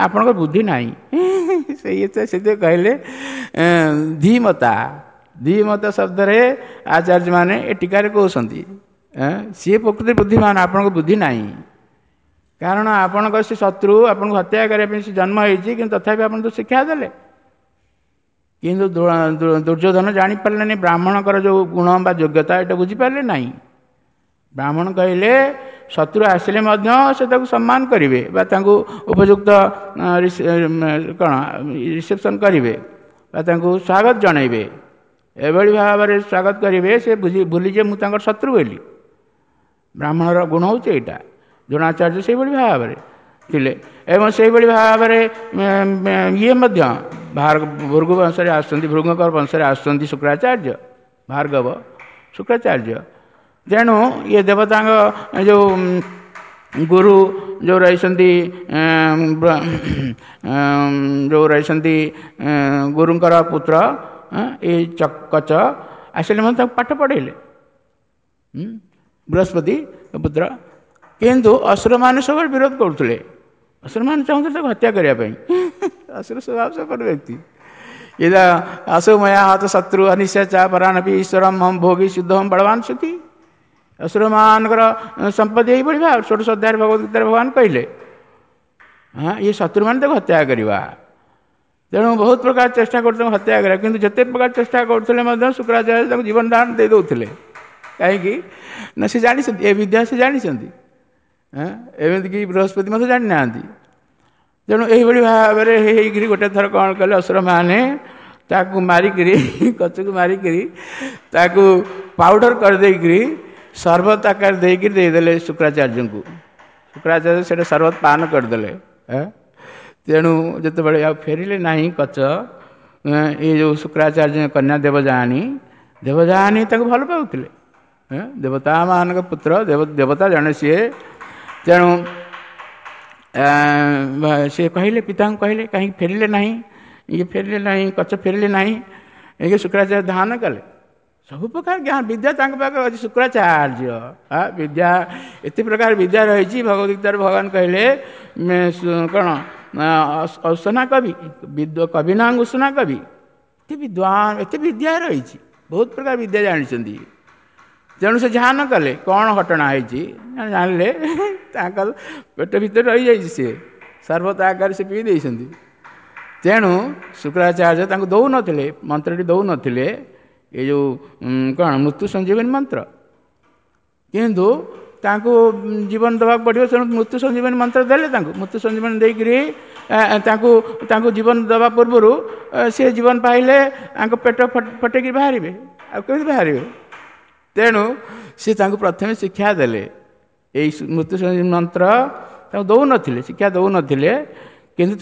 S1: ଆପଣଙ୍କ ବୁଦ୍ଧି ନାହିଁ। ସେଥିପାଇଁ କହିଲେ ଧୀମତା। ଧୀମତା ଶବ୍ଦରେ ଆଚାର୍ଯ୍ୟମାନେ ଏ ଟୀକାରେ କହୁଛନ୍ତି ସିଏ ପ୍ରକୃତି ବୁଦ୍ଧିମାନ, ଆପଣଙ୍କ ବୁଦ୍ଧି ନାହିଁ। କାରଣ ଆପଣଙ୍କ ସେ ଶତ୍ରୁ ଆପଣଙ୍କୁ ହତ୍ୟା କରିବା ପାଇଁ ସେ ଜନ୍ମ ହେଇଛି, କିନ୍ତୁ ତଥାପି ଆପଣ ତ ଶିକ୍ଷା ଦେଲେ। କିନ୍ତୁ ଦୁର୍ଯ୍ୟୋଧନ ଜାଣିପାରିଲେନି ବ୍ରାହ୍ମଣଙ୍କର ଯେଉଁ ଗୁଣ ବା ଯୋଗ୍ୟତା, ଏଇଟା ବୁଝିପାରିଲେ ନାହିଁ। ବ୍ରାହ୍ମଣ କହିଲେ ଶତ୍ରୁ ଆସିଲେ ମଧ୍ୟ ସେ ତାକୁ ସମ୍ମାନ କରିବେ ବା ତାଙ୍କୁ ଉପଯୁକ୍ତ କ'ଣ ରିସେପସନ୍ କରିବେ ବା ତାଙ୍କୁ ସ୍ୱାଗତ ଜଣାଇବେ, ଏଭଳି ଭାବରେ ସ୍ୱାଗତ କରିବେ ସେ ବୁଝି ଭୁଲିଯିବେ ମୁଁ ତାଙ୍କର ଶତ୍ରୁ ବୋଲି। ବ୍ରାହ୍ମଣର ଗୁଣ ହେଉଛି ଏଇଟା। ଦ୍ରୋଣାଚାର୍ଯ୍ୟ ସେଇଭଳି ଭାବରେ ଥିଲେ ଏବଂ ସେଇଭଳି ଭାବରେ ଇଏ ମଧ୍ୟ ଭୃଗୁ ବଂଶରେ ଆସୁଛନ୍ତି, ଭୃଗୁଙ୍କର ବଂଶରେ ଆସୁଛନ୍ତି ଶୁକ୍ରାଚାର୍ଯ୍ୟ, ଭାର୍ଗବ ଶୁକ୍ରାଚାର୍ଯ୍ୟ। ତେଣୁ ଇଏ ଦେବତାଙ୍କ ଯେଉଁ ଗୁରୁ ଯେଉଁ ରହିଛନ୍ତି, ଯେଉଁ ରହିଛନ୍ତି ଗୁରୁଙ୍କର ପୁତ୍ର ଏଇ କଚ ଆସିଲେ ମଧ୍ୟ ତାକୁ ପାଠ ପଢ଼େଇଲେ, ବୃହସ୍ପତି ପୁତ୍ର। କିନ୍ତୁ ଅସୁରମାନେ ସବୁବେଳେ ବିରୋଧ କରୁଥିଲେ। ଅସୁରମାନେ ଚାହୁଁଥିଲେ ତାକୁ ହତ୍ୟା କରିବା ପାଇଁ। ଅସୁର ସ୍ୱଭାବ ସମ୍ପନ୍ନ ବ୍ୟକ୍ତି। ଇଦା ଅସୁମୟା ହତ ଶତ୍ରୁ ଅନିଶ୍ଚା ପରାଣପି ଈଶ୍ୱରମ ହମ ଭୋଗୀ ସିଦ୍ଧମ ବଳବାନ ସୁଖୀ। ଅସୁରମାନଙ୍କର ସମ୍ପତ୍ତି ଏଇଭଳି ଭାବ ଷୋଡ଼ଶ ଅଧ୍ୟାୟରେ ଭଗବତ ଗୀତାରେ ଭଗବାନ କହିଲେ, ହଁ, ଇଏ ଶତ୍ରୁମାନେ ତାକୁ ହତ୍ୟା କରିବା। ତେଣୁ ବହୁତ ପ୍ରକାର ଚେଷ୍ଟା କରୁଥିଲେ ହତ୍ୟା କରିବା, କିନ୍ତୁ ଯେତେ ପ୍ରକାର ଚେଷ୍ଟା କରୁଥିଲେ ମଧ୍ୟ ଶୁକ୍ରାଚାର୍ଯ୍ୟ ତାଙ୍କୁ ଜୀବନ ଦାନ ଦେଇ ଦେଉଥିଲେ। କାହିଁକି ନା ସେ ଜାଣିଛନ୍ତି ଏ ବିଦ୍ୟା, ସେ ଜାଣିଛନ୍ତି, ଏମିତିକି ବୃହସ୍ପତି ମଧ୍ୟ ଜାଣିନାହାନ୍ତି। ତେଣୁ ଏଇଭଳି ଭାବରେ ହେଇକିରି ଗୋଟେ ଥର କ'ଣ କଲେ, ଅସୁରମାନେ ତାକୁ ମାରିକିରି, କଚକୁ ମାରିକିରି ତାକୁ ପାଉଡ଼ର କରିଦେଇକିରି ସରବତ ଆକାର ଦେଇକିରି ଦେଇଦେଲେ ଶୁକ୍ରାଚାର୍ଯ୍ୟଙ୍କୁ। ଶୁକ୍ରାଚାର୍ଯ୍ୟ ସେଇଟା ସରବତ ପାନ କରିଦେଲେ। ତେଣୁ ଯେତେବେଳେ ଆଉ ଫେରିଲେ ନାହିଁ କଚ, ଏଇ ଯେଉଁ ଶୁକ୍ରାଚାର୍ଯ୍ୟ କନ୍ୟା ଦେବଯାନୀ, ଦେବଯାନୀ ତାକୁ ଭଲ ପାଉଥିଲେ, ଦେବତାମାନଙ୍କ ପୁତ୍ର, ଦେବତା ଜଣେ ସିଏ। ତେଣୁ ସିଏ କହିଲେ, ପିତାଙ୍କୁ କହିଲେ କାହିଁକି ଫେରିଲେ ନାହିଁ, ଇଏ ଫେରିଲେ ନାହିଁ, କଚ ଫେରିଲେ ନାହିଁ। ଇଏ ଶୁକ୍ରାଚାର୍ଯ୍ୟ ଧ୍ୟାନ କଲେ, ସବୁ ପ୍ରକାର ଜ୍ଞାନ ବିଦ୍ୟା ତାଙ୍କ ପାଖରେ ଅଛି। ଶୁକ୍ରାଚାର୍ଯ୍ୟ ବିଦ୍ୟା, ଏତେ ପ୍ରକାର ବିଦ୍ୟା ରହିଛି। ଭଗବତ ଗୀତାରେ ଭଗବାନ କହିଲେ କ'ଣ, ଅସୁନା କବି, କବି ନାଁ ଉଷୁନା କବି, ଏତେ ବିଦ୍ୱାନ, ଏତେ ବିଦ୍ୟା ରହିଛି, ବହୁତ ପ୍ରକାର ବିଦ୍ୟା ଜାଣିଛନ୍ତି। ତେଣୁ ସେ ଧ୍ୟାନ କଲେ କ'ଣ ଘଟଣା ହେଇଛି ଜାଣିଲେ, ତାଙ୍କର ପେଟ ଭିତରେ ରହିଯାଇଛି, ସିଏ ସର୍ବତ ଆକାରରେ ସେ ପିଇ ଦେଇଛନ୍ତି। ତେଣୁ ଶୁକ୍ରାଚାର୍ଯ୍ୟ ତାଙ୍କୁ ଦେଉନଥିଲେ, ମନ୍ତ୍ରଟି ଦେଉନଥିଲେ, ଏ ଯେଉଁ କ'ଣ ମୃତ୍ୟୁ ସଞ୍ଜୀବନୀ ମନ୍ତ୍ର। କିନ୍ତୁ ତାଙ୍କୁ ଜୀବନ ଦେବାକୁ ପଡ଼ିବ, ତେଣୁ ମୃତ୍ୟୁ ସଞ୍ଜୀବନୀ ମନ୍ତ୍ର ଦେଲେ ତାଙ୍କୁ। ମୃତ୍ୟୁ ସଞ୍ଜୀବନୀ ଦେଇକରି ତାଙ୍କୁ ତାଙ୍କୁ ଜୀବନ ଦେବା ପୂର୍ବରୁ ସେ ଜୀବନ ପାଇଲେ ତାଙ୍କ ପେଟ ଫଟେଇକି ବାହାରିବେ, ଆଉ କେମିତି ବାହାରିବେ? ତେଣୁ ସେ ତାଙ୍କୁ ପ୍ରଥମେ ଶିକ୍ଷା ଦେଲେ। ଏଇ ମୃତ୍ୟୁ ସଞ୍ଜୀବନୀ ମନ୍ତ୍ର ତାଙ୍କୁ ଦେଉନଥିଲେ, ଶିକ୍ଷା ଦେଉନଥିଲେ, କିନ୍ତୁ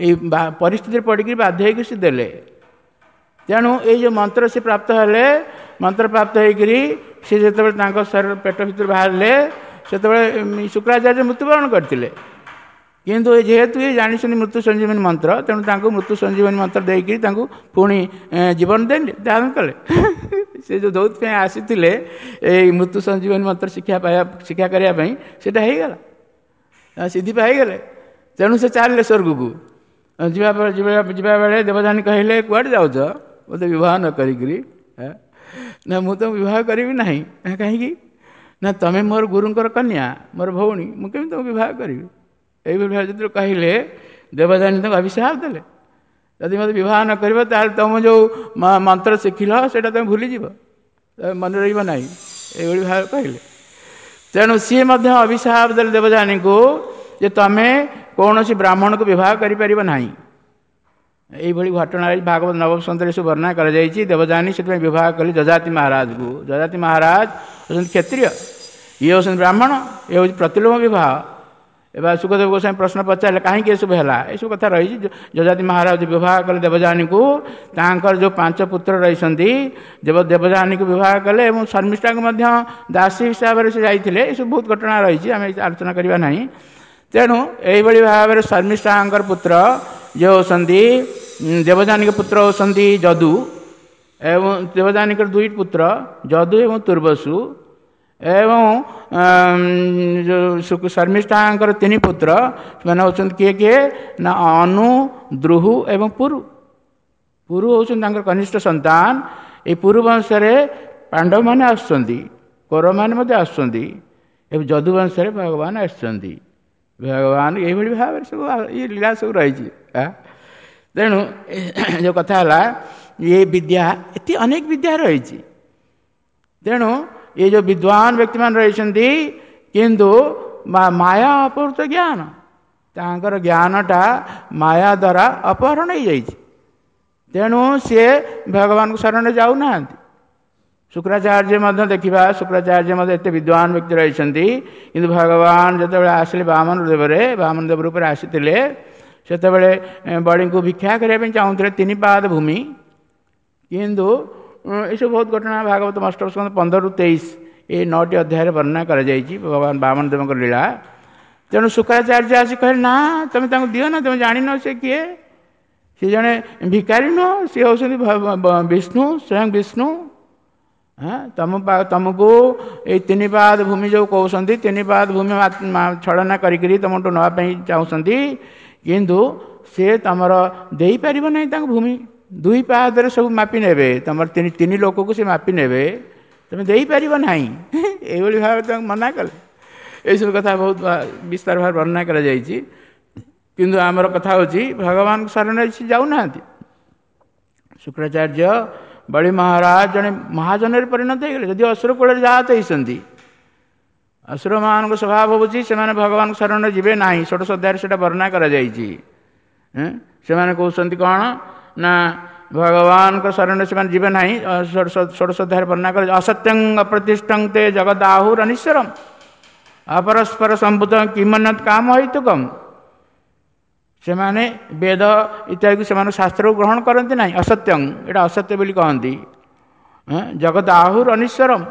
S1: ଏଇ ପରିସ୍ଥିତିରେ ପଡ଼ିକି ବାଧ୍ୟ ହେଇକି ସେ ଦେଲେ। ତେଣୁ ଏଇ ଯେଉଁ ମନ୍ତ୍ର ସେ ପ୍ରାପ୍ତ ହେଲେ, ମନ୍ତ୍ର ପ୍ରାପ୍ତ ହେଇକରି ସେ ଯେତେବେଳେ ତାଙ୍କ ଶରୀର ପେଟ ଭିତରୁ ବାହାରିଲେ, ସେତେବେଳେ ଶୁକ୍ରାଚାର୍ଯ୍ୟ ମୃତ୍ୟୁବରଣ କରିଥିଲେ। କିନ୍ତୁ ଯେହେତୁ ଇଏ ଜାଣିଛନ୍ତି ମୃତ୍ୟୁ ସଞ୍ଜୀବନୀ ମନ୍ତ୍ର, ତେଣୁ ତାଙ୍କୁ ମୃତ୍ୟୁ ସଞ୍ଜୀବନୀ ମନ୍ତ୍ର ଦେଇକରି ତାଙ୍କୁ ପୁଣି ଜୀବନ ଦେଲେ, ଦାନ କଲେ। ସେ ଯେଉଁ ଯୋଉଥିପାଇଁ ଆସିଥିଲେ ଏଇ ମୃତ୍ୟୁ ସଞ୍ଜୀବନୀ ମନ୍ତ୍ର ଶିକ୍ଷା ପାଇବା, ଶିକ୍ଷା କରିବା ପାଇଁ, ସେଇଟା ହେଇଗଲା, ସିଦ୍ଧି ପାଇଗଲେ। ତେଣୁ ସେ ଚାଲିଲେ ସ୍ୱର୍ଗକୁ। ଯିବା ଯିବା ବେଳେ ଦେବଯାନୀ କହିଲେ, କୁଆଡ଼େ ଯାଉଛ ମୋତେ ବିବାହ ନ କରିକିରି? ନା, ମୁଁ ତ ବିବାହ କରିବି ନାହିଁ। କାହିଁକି? ନା, ତମେ ମୋର ଗୁରୁଙ୍କର କନ୍ୟା, ମୋର ଭଉଣୀ, ମୁଁ କେମିତି ତମକୁ ବିବାହ କରିବି? ଏଇଭଳି ଭାବେ ଯେତେବେଳେ କହିଲେ, ଦେବଯାନୀ ତାଙ୍କୁ ଅଭିଶାପ ଦେଲେ, ଯଦି ମୋତେ ବିବାହ ନ କରିବ ତାହେଲେ ତୁମ ଯେଉଁ ମନ୍ତ୍ର ଶିଖିଲ ସେଇଟା ତୁମେ ଭୁଲିଯିବ, ମନେ ରହିବ ନାହିଁ, ଏଇଭଳି ଭାବେ କହିଲେ। ତେଣୁ ସିଏ ମଧ୍ୟ ଅଭିଶାପ ଦେଲେ ଦେବଯାନୀଙ୍କୁ ଯେ ତମେ କୌଣସି ବ୍ରାହ୍ମଣକୁ ବିବାହ କରିପାରିବ ନାହିଁ। ଏଇଭଳି ଘଟଣା ଭାଗବତ ନବମ ସ୍କନ୍ଧରେ ସବୁ ବର୍ଣ୍ଣନା କରାଯାଇଛି। ଦେବଯାନୀ ସେଥିପାଇଁ ବିବାହ କଲେ ଯଯାତି ମହାରାଜକୁ। ଯଯାତି ମହାରାଜ ହେଉଛନ୍ତି କ୍ଷତ୍ରିୟ, ଇଏ ହେଉଛନ୍ତି ବ୍ରାହ୍ମଣ, ଇଏ ହେଉଛି ପ୍ରତିଲୋମ ବିବାହ। ଏବେ ଶୁକଦେବ ଗୋସ୍ୱାମୀ ପ୍ରଶ୍ନ ପଚାରିଲେ କାହିଁକି ଏସବୁ ହେଲା, ଏସବୁ କଥା ରହିଛି। ଯଯାତି ମହାରାଜ ବିବାହ କଲେ ଦେବଯାନୀକୁ, ତାଙ୍କର ଯେଉଁ 5 ପୁତ୍ର ରହିଛନ୍ତି, ଦେବଯାନୀକୁ ବିବାହ କଲେ ଏବଂ ଶର୍ମିଷ୍ଠାଙ୍କୁ ମଧ୍ୟ ଦାସୀ ହିସାବରେ ସେ ଯାଇଥିଲେ। ଏସବୁ ବହୁତ ଘଟଣା ରହିଛି, ଆମେ ଆଲୋଚନା କରିବା ନାହିଁ। ତେଣୁ ଏଇଭଳି ଭାବରେ ଶର୍ମିଷ୍ଠାଙ୍କର ପୁତ୍ର ଯିଏ ହେଉଛନ୍ତି, ଦେବଯାନୀଙ୍କ ପୁତ୍ର ହେଉଛନ୍ତି ଯଦୁ, ଏବଂ ଦେବଯାନୀଙ୍କର 2 ପୁତ୍ର ଯଦୁ ଏବଂ ତୁର୍ବସୁ, ଏବଂ ଶର୍ମିଷ୍ଠାଙ୍କର 3 ପୁତ୍ର, ସେମାନେ ହେଉଛନ୍ତି କିଏ କିଏ ନା ଅନୁ, ଦ୍ରୁହୁ ଏବଂ ପୁରୁ। ପୁରୁ ହେଉଛନ୍ତି ତାଙ୍କର କନିଷ୍ଠ ସନ୍ତାନ। ଏଇ ପୁରୁ ବଂଶରେ ପାଣ୍ଡବମାନେ ଆସୁଛନ୍ତି, କୌରବମାନେ ମଧ୍ୟ ଆସୁଛନ୍ତି, ଏବଂ ଯଦୁ ବଂଶରେ ଭଗବାନ ଆସିଛନ୍ତି। ଭଗବାନ ଏଇଭଳି ଭାବରେ ସବୁ ଇଏ ଲୀଳା ସବୁ ରହିଛି। ତେଣୁ ଯେଉଁ କଥା ହେଲା, ଏ ବିଦ୍ୟା ଏତେ ଅନେକ ବିଦ୍ୟା ରହିଛି। ତେଣୁ ଏ ଯେଉଁ ବିଦ୍ୱାନ ବ୍ୟକ୍ତିମାନେ ରହିଛନ୍ତି, କିନ୍ତୁ ମାୟା ଅପହୃତ ଜ୍ଞାନ, ତାଙ୍କର ଜ୍ଞାନଟା ମାୟା ଦ୍ୱାରା ଅପହରଣ ହେଇଯାଇଛି। ତେଣୁ ସିଏ ଭଗବାନଙ୍କ ଶରଣରେ ଯାଉନାହାନ୍ତି। ଶୁକ୍ରାଚାର୍ଯ୍ୟ ମଧ୍ୟ ଦେଖିବା, ଶୁକ୍ରାଚାର୍ଯ୍ୟ ମଧ୍ୟ ଏତେ ବିଦ୍ୱାନ ବ୍ୟକ୍ତି ରହିଛନ୍ତି, କିନ୍ତୁ ଭଗବାନ ଯେତେବେଳେ ଆସିଲେ ବାମନ ଦେବରେ, ବାମନ ଦେବ ରୂପରେ ଆସିଥିଲେ, ସେତେବେଳେ ବଳିଙ୍କୁ ଭିକ୍ଷା କରିବା ପାଇଁ ଚାହୁଁଥିଲେ 3 ପାଦ ଭୂମି। କିନ୍ତୁ ଏସବୁ ବହୁତ ଘଟଣା ଭାଗବତ ଅଷ୍ଟମ ସ୍କନ୍ଧ 15ରୁ 23 ଏଇ 9ଟି ଅଧ୍ୟାୟରେ ବର୍ଣ୍ଣନା କରାଯାଇଛି ଭଗବାନ ବାମନ ଦେବଙ୍କ ଲୀଳା। ତେଣୁ ଶୁକ୍ରାଚାର୍ଯ୍ୟ ଆସି କହିଲେ, ନା ତମେ ତାଙ୍କୁ ଦିଅ ନା, ତମେ ଜାଣିନ ସେ କିଏ, ସେ ଜଣେ ଭିକାରୀ ନୁହଁ, ସିଏ ହେଉଛନ୍ତି ବିଷ୍ଣୁ, ସ୍ୱୟଂ ବିଷ୍ଣୁ। ହଁ, ତମକୁ ଏଇ 3 ପାଦ ଭୂମି ଯେଉଁ କହୁଛନ୍ତି, 3 ପାଦ ଭୂମି ଛଳନା କରିକିରି ତମଠୁ ନେବା ପାଇଁ ଚାହୁଁଛନ୍ତି, କିନ୍ତୁ ସେ ତମର ଦେଇପାରିବ ନାହିଁ ତାଙ୍କୁ ଭୂମି। 2 ପାଦରେ ସବୁ ମାପି ନେବେ, ତମର 3 ଲୋକକୁ ସେ ମାପି ନେବେ, ତମେ ଦେଇପାରିବ ନାହିଁ। ଏଇଭଳି ଭାବରେ ତାଙ୍କୁ ମନା କଲେ। ଏଇସବୁ କଥା ବହୁତ ବିସ୍ତାର ଭାବରେ ବର୍ଣ୍ଣନା କରାଯାଇଛି। କିନ୍ତୁ ଆମର କଥା ହେଉଛି ଭଗବାନଙ୍କ ଶରଣରେ ସେ ଯାଉନାହାନ୍ତି। ଶୁକ୍ରାଚାର୍ଯ୍ୟ ବଳି ମହାରାଜ ଜଣେ ମହାଜନରେ ପରିଣତ ହେଇଗଲେ, ଯଦି ଅସୁର କୂଳରେ ଜାତ ହେଇଛନ୍ତି। ଅସୁରମାନଙ୍କ ସ୍ୱଭାବ ହେଉଛି ସେମାନେ ଭଗବାନଙ୍କ ଶରଣରେ ଯିବେ ନାହିଁ। 16 ଅଧ୍ୟାୟରେ ସେଇଟା ବର୍ଣ୍ଣନା କରାଯାଇଛି। ସେମାନେ କହୁଛନ୍ତି କ'ଣ ନା ଭଗବାନଙ୍କ ଶରଣରେ ସେମାନେ ଯିବେ ନାହିଁ। 16 ଅଧ୍ୟାୟରେ ବର୍ଣ୍ଣନା କରାଯାଇଛି, ଅସତ୍ୟଂ ଅପ୍ରତିଷ୍ଠଂ ତେ ଜଗଦାହୁର ଅନିଶ୍ୱରମ୍ ଅପରସ୍ପର ସମ୍ଭୂତ କିମନ୍ୟତ୍ କାମ ହେତୁକମ୍। ସେମାନେ ବେଦ ଇତ୍ୟାଦିକୁ ସେମାନେ ଶାସ୍ତ୍ରକୁ ଗ୍ରହଣ କରନ୍ତି ନାହିଁ। ଅସତ୍ୟଂ, ଏଇଟା ଅସତ୍ୟ ବୋଲି କହନ୍ତି। ଜଗତ ଆହୁର ଅନିଶ୍ୱରମ୍,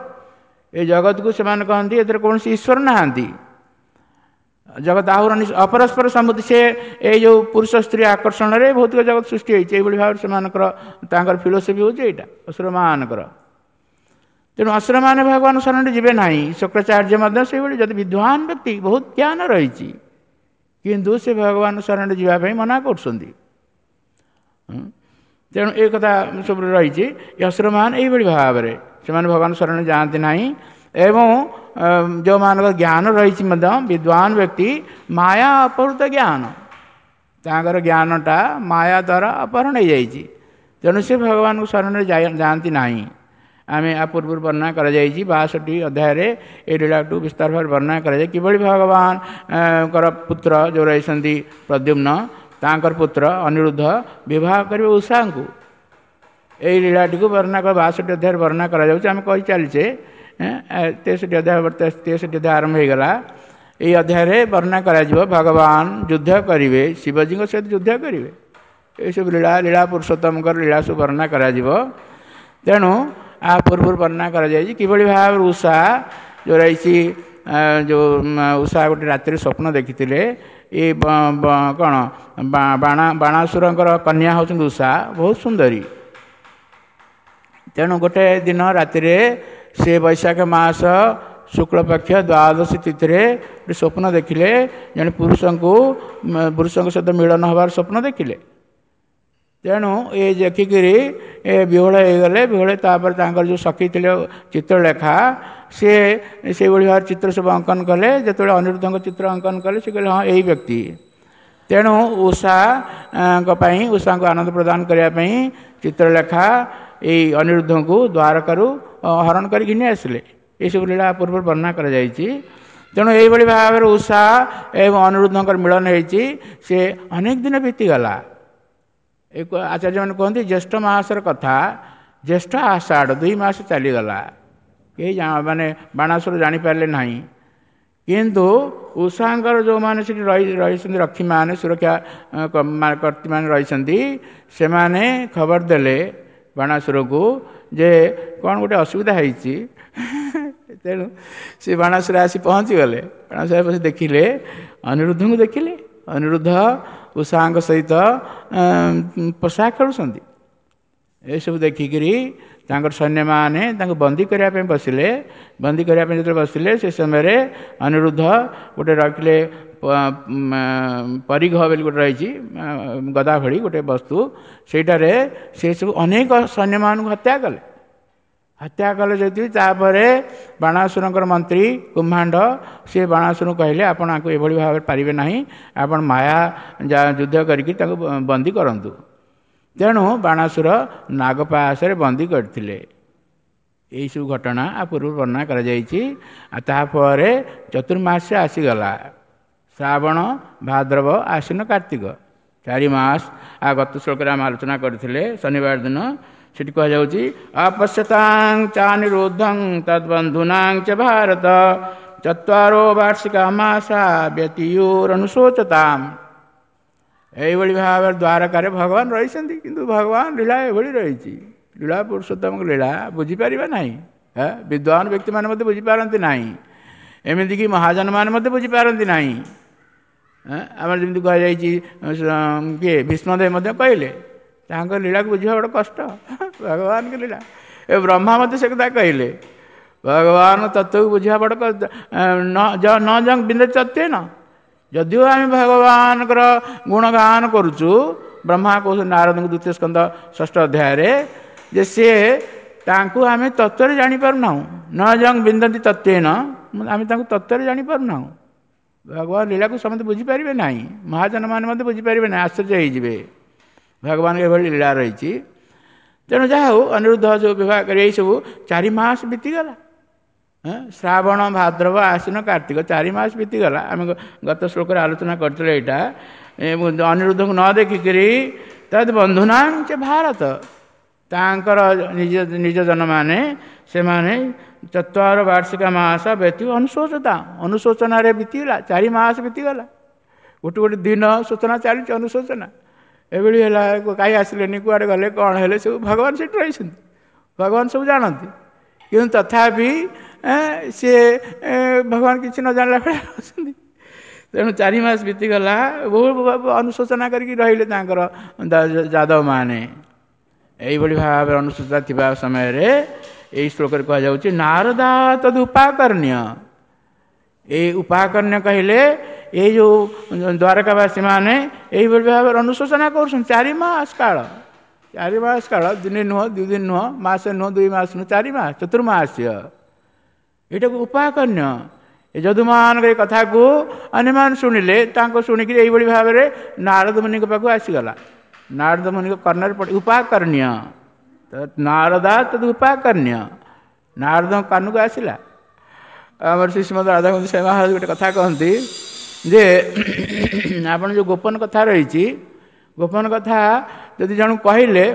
S1: ଏ ଜଗତକୁ ସେମାନେ କହନ୍ତି ଏଥିରେ କୌଣସି ଈଶ୍ୱର ନାହାନ୍ତି। ଜଗତ ଆହୁର ଅପରସ୍ପର ସମ୍ମତି, ସେ ଏଇ ଯେଉଁ ପୁରୁଷ ସ୍ତ୍ରୀ ଆକର୍ଷଣରେ ଭୌତିକ ଜଗତ ସୃଷ୍ଟି ହେଇଛି। ଏଇଭଳି ଭାବରେ ସେମାନଙ୍କର ତାଙ୍କର ଫିଲୋସଫି ହେଉଛି ଏଇଟା ଅସୁରମାନଙ୍କର। ତେଣୁ ଅସୁରମାନେ ଭଗବାନ ଶରଣରେ ଯିବେ ନାହିଁ। ଶୁକ୍ରାଚାର୍ଯ୍ୟ ମଧ୍ୟ ସେଇଭଳି, ଯଦି ବିଦ୍ୱାନ ବ୍ୟକ୍ତି, ବହୁତ ଜ୍ଞାନ ରହିଛି, କିନ୍ତୁ ସେ ଭଗବାନ ଶରଣରେ ଯିବା ପାଇଁ ମନା କରୁଛନ୍ତି। ତେଣୁ ଏ କଥା ସବୁ ରହିଛି। ଅସୁରମାନେ ଏଇଭଳି ଭାବରେ ସେମାନେ ଭଗବାନ ଶରଣରେ ଯାଆନ୍ତି ନାହିଁ। ଏବଂ ଯେଉଁମାନଙ୍କର ଜ୍ଞାନ ରହିଛି ମଧ୍ୟ, ବିଦ୍ୱାନ ବ୍ୟକ୍ତି, ମାୟା ଅପହୃତ ଜ୍ଞାନ, ତାଙ୍କର ଜ୍ଞାନଟା ମାୟା ଦ୍ୱାରା ଅପହରଣ ହେଇଯାଇଛି। ତେଣୁ ସେ ଭଗବାନଙ୍କ ଶରଣରେ ଯାଆନ୍ତି ନାହିଁ। ଆମେ ଆ ପୂର୍ବରୁ ବର୍ଣ୍ଣନା କରାଯାଇଛି 62 ଅଧ୍ୟାୟରେ ଏ ଲୀଳାକୁ ବିସ୍ତାର ଭାବରେ ବର୍ଣ୍ଣନା କରାଯାଏ, କିଭଳି ଭଗବାନଙ୍କର ପୁତ୍ର ଯେଉଁ ରହିଛନ୍ତି ପ୍ରଦ୍ୟୁମ୍ନ, ତାଙ୍କର ପୁତ୍ର ଅନିରୁଦ୍ଧ ବିବାହ କରିବେ ଉଷାଙ୍କୁ। ଏଇ ଲୀଳାଟିକୁ ବର୍ଣ୍ଣନା 62 ଅଧ୍ୟାୟରେ ବର୍ଣ୍ଣନା କରାଯାଉଛି। ଆମେ କହି ଚାଲିଛେ, 63 ଅଧ୍ୟାୟ, 63 ଅଧ୍ୟାୟ ଆରମ୍ଭ ହେଇଗଲା। ଏଇ ଅଧ୍ୟାୟରେ ବର୍ଣ୍ଣନା କରାଯିବ ଭଗବାନ ଯୁଦ୍ଧ କରିବେ, ଶିବଜୀଙ୍କ ସହିତ ଯୁଦ୍ଧ କରିବେ। ଏସବୁ ଲୀଳା, ଲୀଳା ପୁରୁଷୋତ୍ତମଙ୍କର ଲୀଳା ସବୁ ବର୍ଣ୍ଣନା କରାଯିବ। ତେଣୁ ଆ ପୂର୍ବରୁ ବର୍ଣ୍ଣନା କରାଯାଇଛି କିଭଳି ଭାବରେ ଉଷା ଯେଉଁ ରହିଛି, ଯେଉଁ ଉଷା ଗୋଟେ ରାତିରେ ସ୍ୱପ୍ନ ଦେଖିଥିଲେ। ଏ କ'ଣ ବାଣାସୁରଙ୍କର କନ୍ୟା ହେଉଛନ୍ତି ଉଷା, ବହୁତ ସୁନ୍ଦରୀ। ତେଣୁ ଗୋଟେ ଦିନ ରାତିରେ ସେ ବୈଶାଖ ମାସ ଶୁକ୍ଳପକ୍ଷ ଦ୍ୱାଦଶୀ ତିଥିରେ ଗୋଟେ ସ୍ୱପ୍ନ ଦେଖିଲେ, ଜଣେ ପୁରୁଷଙ୍କ ସହିତ ମିଳନ ହେବାର ସ୍ୱପ୍ନ ଦେଖିଲେ। ତେଣୁ ଏ ଦେଖିକିରି ଏ ବିହ୍ୱଳ ହେଇଗଲେ। ବିହ୍ୱଳ ତାପରେ ତାଙ୍କର ଯେଉଁ ସଖୀ ଥିଲେ ଚିତ୍ରଲେଖା, ସିଏ ସେଇଭଳି ଭାବରେ ଚିତ୍ର ସବୁ ଅଙ୍କନ କଲେ। ଯେତେବେଳେ ଅନିରୁଦ୍ଧଙ୍କ ଚିତ୍ର ଅଙ୍କନ କଲେ, ସେ କହିଲେ ହଁ ଏଇ ବ୍ୟକ୍ତି। ତେଣୁ ଉଷାଙ୍କ ପାଇଁ, ଉଷାଙ୍କୁ ଆନନ୍ଦ ପ୍ରଦାନ କରିବା ପାଇଁ ଚିତ୍ରଲେଖା ଏଇ ଅନିରୁଦ୍ଧଙ୍କୁ ଦ୍ୱାରକାରୁ ହରଣ କରି ଘିନି ଆସିଲେ। ଏସବୁ ଲୀଳା ପୂର୍ବରୁ ବର୍ଣ୍ଣନା କରାଯାଇଛି। ତେଣୁ ଏଇଭଳି ଭାବରେ ଉଷା ଏବଂ ଅନିରୁଦ୍ଧଙ୍କର ମିଳନ ହେଇଛି। ସେ ଅନେକ ଦିନ ବିତିଗଲା। ଏ ଆଚାର୍ଯ୍ୟମାନେ କୁହନ୍ତି ଜ୍ୟେଷ୍ଠ ମାସର କଥା, ଜ୍ୟେଷ୍ଠ ଆଷାଢ଼ 2 ମାସ ଚାଲିଗଲା, କେହି ମାନେ ବାଣାସୁର ଜାଣିପାରିଲେ ନାହିଁ। କିନ୍ତୁ ଉଷାଙ୍କର ଯେଉଁମାନେ ସେଠି ରହିଛନ୍ତି, ରକ୍ଷୀମାନେ, ସୁରକ୍ଷା କର୍ତ୍ତୀମାନେ ରହିଛନ୍ତି, ସେମାନେ ଖବର ଦେଲେ ବାଣାସୁରକୁ ଯେ କ'ଣ ଗୋଟେ ଅସୁବିଧା ହେଇଛି। ତେଣୁ ସେ ବାଣାସୁର ଆସି ପହଞ୍ଚିଗଲେ। ବାଣାସୁର ଆସି ଦେଖିଲେ ଅନିରୁଦ୍ଧଙ୍କୁ, ଦେଖିଲେ ଅନିରୁଦ୍ଧ ଉଷାଙ୍କ ସହିତ ପୋଷା ଖେଳୁଛନ୍ତି। ଏସବୁ ଦେଖିକିରି ତାଙ୍କର ସୈନ୍ୟମାନେ ତାଙ୍କୁ ବନ୍ଦୀ କରିବା ପାଇଁ ବସିଲେ। ବନ୍ଦୀ କରିବା ପାଇଁ ଯେତେବେଳେ ବସିଲେ, ସେ ସମୟରେ ଅନିରୁଦ୍ଧ ଗୋଟେ ରଖିଲେ ପରିଘ ବୋଲି ଗୋଟେ ରହିଛି, ଗଦା ଭଳି ଗୋଟେ ବସ୍ତୁ, ସେଇଟାରେ ସେ ସବୁ ଅନେକ ସୈନ୍ୟମାନଙ୍କୁ ହତ୍ୟା କଲେ। ହତ୍ୟା କଲେ ଯଦି, ତାପରେ ବାଣାସୁରଙ୍କର ମନ୍ତ୍ରୀ କୁମ୍ଭାଣ୍ଡ ସେ ବାଣାସୁରଙ୍କୁ କହିଲେ, ଆପଣ ଆଙ୍କୁ ଏଭଳି ଭାବରେ ପାରିବେ ନାହିଁ, ଆପଣ ମାୟା ଯୁଦ୍ଧ କରିକି ତାଙ୍କୁ ବନ୍ଦୀ କରନ୍ତୁ। ତେଣୁ ବାଣାସୁର ନାଗପାଶରେ ବନ୍ଦୀ କରିଥିଲେ। ଏଇସବୁ ଘଟଣା ଆ ପୂର୍ବରୁ ବର୍ଣ୍ଣନା କରାଯାଇଛି। ଆଉ ତାପରେ ଚତୁର୍ମାସ୍ୟ ଆସିଗଲା, ଶ୍ରାବଣ, ଭାଦ୍ରବ, ଆଶ୍ୱିନ, କାର୍ତ୍ତିକ, 4 ମାସ। ଆଉ ଗତ ଶ୍ଲୋକରେ ଆମେ ଆଲୋଚନା କରିଥିଲେ ଶନିବାର ଦିନ। ସେଠି କୁହାଯାଉଛି ଅପଶ୍ୟତାଂ ଚାନିରୁଦ୍ଧଂ ତଦ୍ବନ୍ଧୁନାଂ ଚ ଭାରତ ଚତ୍ୱାରୋ ବାର୍ଷିକା ମାସା ବ୍ୟତୀୟୁରନୁଶୋଚତାମ୍। ଏଇଭଳି ଭାବରେ ଦ୍ୱାରକାରେ ଭଗବାନ ରହିଛନ୍ତି, କିନ୍ତୁ ଭଗବାନ ଲୀଳା ଏଭଳି ରହିଛି। ଲୀଳା ପୁରୁଷୋତ୍ତମଙ୍କ ଲୀଳା ବୁଝିପାରିବା ନାହିଁ। ବିଦ୍ୱାନ ବ୍ୟକ୍ତିମାନେ ମଧ୍ୟ ବୁଝିପାରନ୍ତି ନାହିଁ, ଏମିତିକି ମହାଜନମାନେ ମଧ୍ୟ ବୁଝିପାରନ୍ତି ନାହିଁ। ଆମର ଯେମିତି କୁହାଯାଇଛି କିଏ ଭୀଷ୍ମଦେବ ମଧ୍ୟ କହିଲେ ତାଙ୍କ ଲୀଳାକୁ ବୁଝିବା ବଡ଼ କଷ୍ଟ, ଭଗବାନଙ୍କ ଲୀଳା। ଏ ବ୍ରହ୍ମା ମଧ୍ୟ ସେ କଥା କହିଲେ, ଭଗବାନ ତତ୍ତ୍ୱକୁ ବୁଝିବା ବଡ଼ କଷ୍ଟ। ନ ଜଂ ବିନ୍ଦ ତତ୍ତ୍ୱେନ, ଯଦିଓ ଆମେ ଭଗବାନଙ୍କର ଗୁଣଗାନ କରୁଛୁ, ବ୍ରହ୍ମା କହୁଛନ୍ତି ନାରଦଙ୍କ ଦ୍ୱିତୀୟ ସ୍କନ୍ଦ 6ଷ୍ଠ ଅଧ୍ୟାୟରେ ଯେ ସିଏ ତାଙ୍କୁ ଆମେ ତତ୍ତ୍ୱରେ ଜାଣିପାରୁନାହୁଁ। ନ ଜଂ ବିନ୍ଦନ୍ତି ତତ୍ତ୍ୱେନ, ଆମେ ତାଙ୍କୁ ତତ୍ତ୍ୱରେ ଜାଣିପାରୁନାହୁଁ। ଭଗବାନ ଲୀଳାକୁ ସମସ୍ତେ ବୁଝିପାରିବେ ନାହିଁ, ମହାଜନମାନେ ମଧ୍ୟ ବୁଝିପାରିବେ ନାହିଁ, ଆଶ୍ଚର୍ଯ୍ୟ ହେଇଯିବେ। ଭଗବାନଙ୍କ ଏଭଳି ଲୀଳା ରହିଛି। ତେଣୁ ଯାହା ହଉ, ଅନିରୁଦ୍ଧ ଯେଉଁ ବିବାହ କରି ଏଇସବୁ 4 ମାସ ବିତିଗଲା। ଶ୍ରାବଣ, ଭାଦ୍ରବ, ଆଶ୍ୱିନ, କାର୍ତ୍ତିକ, 4 ମାସ ବିତିଗଲା। ଆମେ ଗତ ଶ୍ଲୋକରେ ଆଲୋଚନା କରିଥିଲେ ଏଇଟା। ଅନିରୁଦ୍ଧଙ୍କୁ ନ ଦେଖିକିରି ତଦ୍ ବନ୍ଧୁନାଂ ଚ ଭାରତ, ତାଙ୍କର ନିଜ ନିଜ ଜନମାନେ ସେମାନେ ଚତ୍ୱାର ବାର୍ଷିକ ମାସ ବ୍ୟତୀତ ଅନୁଶୋଚତା, ଅନୁଶୋଚନାରେ ବିତିଗଲା। 4 ମାସ ବିତିଗଲା, ଗୋଟେ ଗୋଟେ ଦିନ ଶୋଚନା ଚାଲିଛି, ଅନୁଶୋଚନା ଏଭଳି ହେଲା। କାହିଁ ଆସିଲେନି, କୁଆଡ଼େ ଗଲେ, କ'ଣ ହେଲେ, ସବୁ ଭଗବାନ ସେଠି ରହିଛନ୍ତି, ଭଗବାନ ସବୁ ଜାଣନ୍ତି। କିନ୍ତୁ ତଥାପି ସିଏ ଭଗବାନ କିଛି ନ ଜାଣିଲା ଭଳିଆ ଅଛନ୍ତି। ତେଣୁ 4 ମାସ ବିତିଗଲା, ବହୁ ଅନୁଶୋଚନା କରିକି ରହିଲେ ତାଙ୍କର ଯାଦବମାନେ। ଏଇଭଳି ଭାବରେ ଅନୁଶୋଚନା ଥିବା ସମୟରେ ଏଇ ଶ୍ଲୋକରେ କୁହାଯାଉଛି ନାରଦା ତଦ୍ ଉପାକର୍ଣ୍ଣ୍ୟ। ଏଇ ଉପାକର୍ଣ୍ଣ୍ୟ କହିଲେ ଏଇ ଯେଉଁ ଦ୍ୱାରକାବାସୀମାନେ ଏଇଭଳି ଭାବରେ ଅନୁଶୋଚନା କରୁଛନ୍ତି 4 ମାସ କାଳ। 4 ମାସ କାଳ, ଦିନେ ନୁହଁ, 2 ଦିନ ନୁହଁ, ମାସେ ନୁହଁ, 2 ମାସ ନୁହଁ, 4 ମାସ, ଚତୁର୍ମାସ୍ୟ। ଏଇଟାକୁ ଉପାକର୍ଣ୍ଣ୍ୟ। ଏ ଯଦୁମାନଙ୍କ ଏ କଥାକୁ ଅନ୍ୟମାନେ ଶୁଣିଲେ, ତାଙ୍କ ଶୁଣିକିରି ଏଇଭଳି ଭାବରେ ନାରଦ ମୁନିଙ୍କ ପାଖକୁ ଆସିଗଲା। ନାରଦ ମୁନିଙ୍କ କର୍ଣ୍ଣରେ ପଡ଼ି ଉପାକର୍ଣ୍ଣ୍ୟ, ନାରଦା ତଦ୍ ଉପାକର୍ଣ୍ଣ୍ୟ, ନାରଦଙ୍କ କାନକୁ ଆସିଲା। ଆମର ଶ୍ରୀ ଶ୍ରୀମଦ ରାଧାଗୋବିନ୍ଦ ସ୍ୱାମୀ ମହାରାଜ ଗୋଟେ କଥା କହନ୍ତି ଯେ ଆପଣ ଯେଉଁ ଗୋପନ କଥା ରହିଛି, ଗୋପନ କଥା ଯଦି ଜଣକୁ କହିଲେ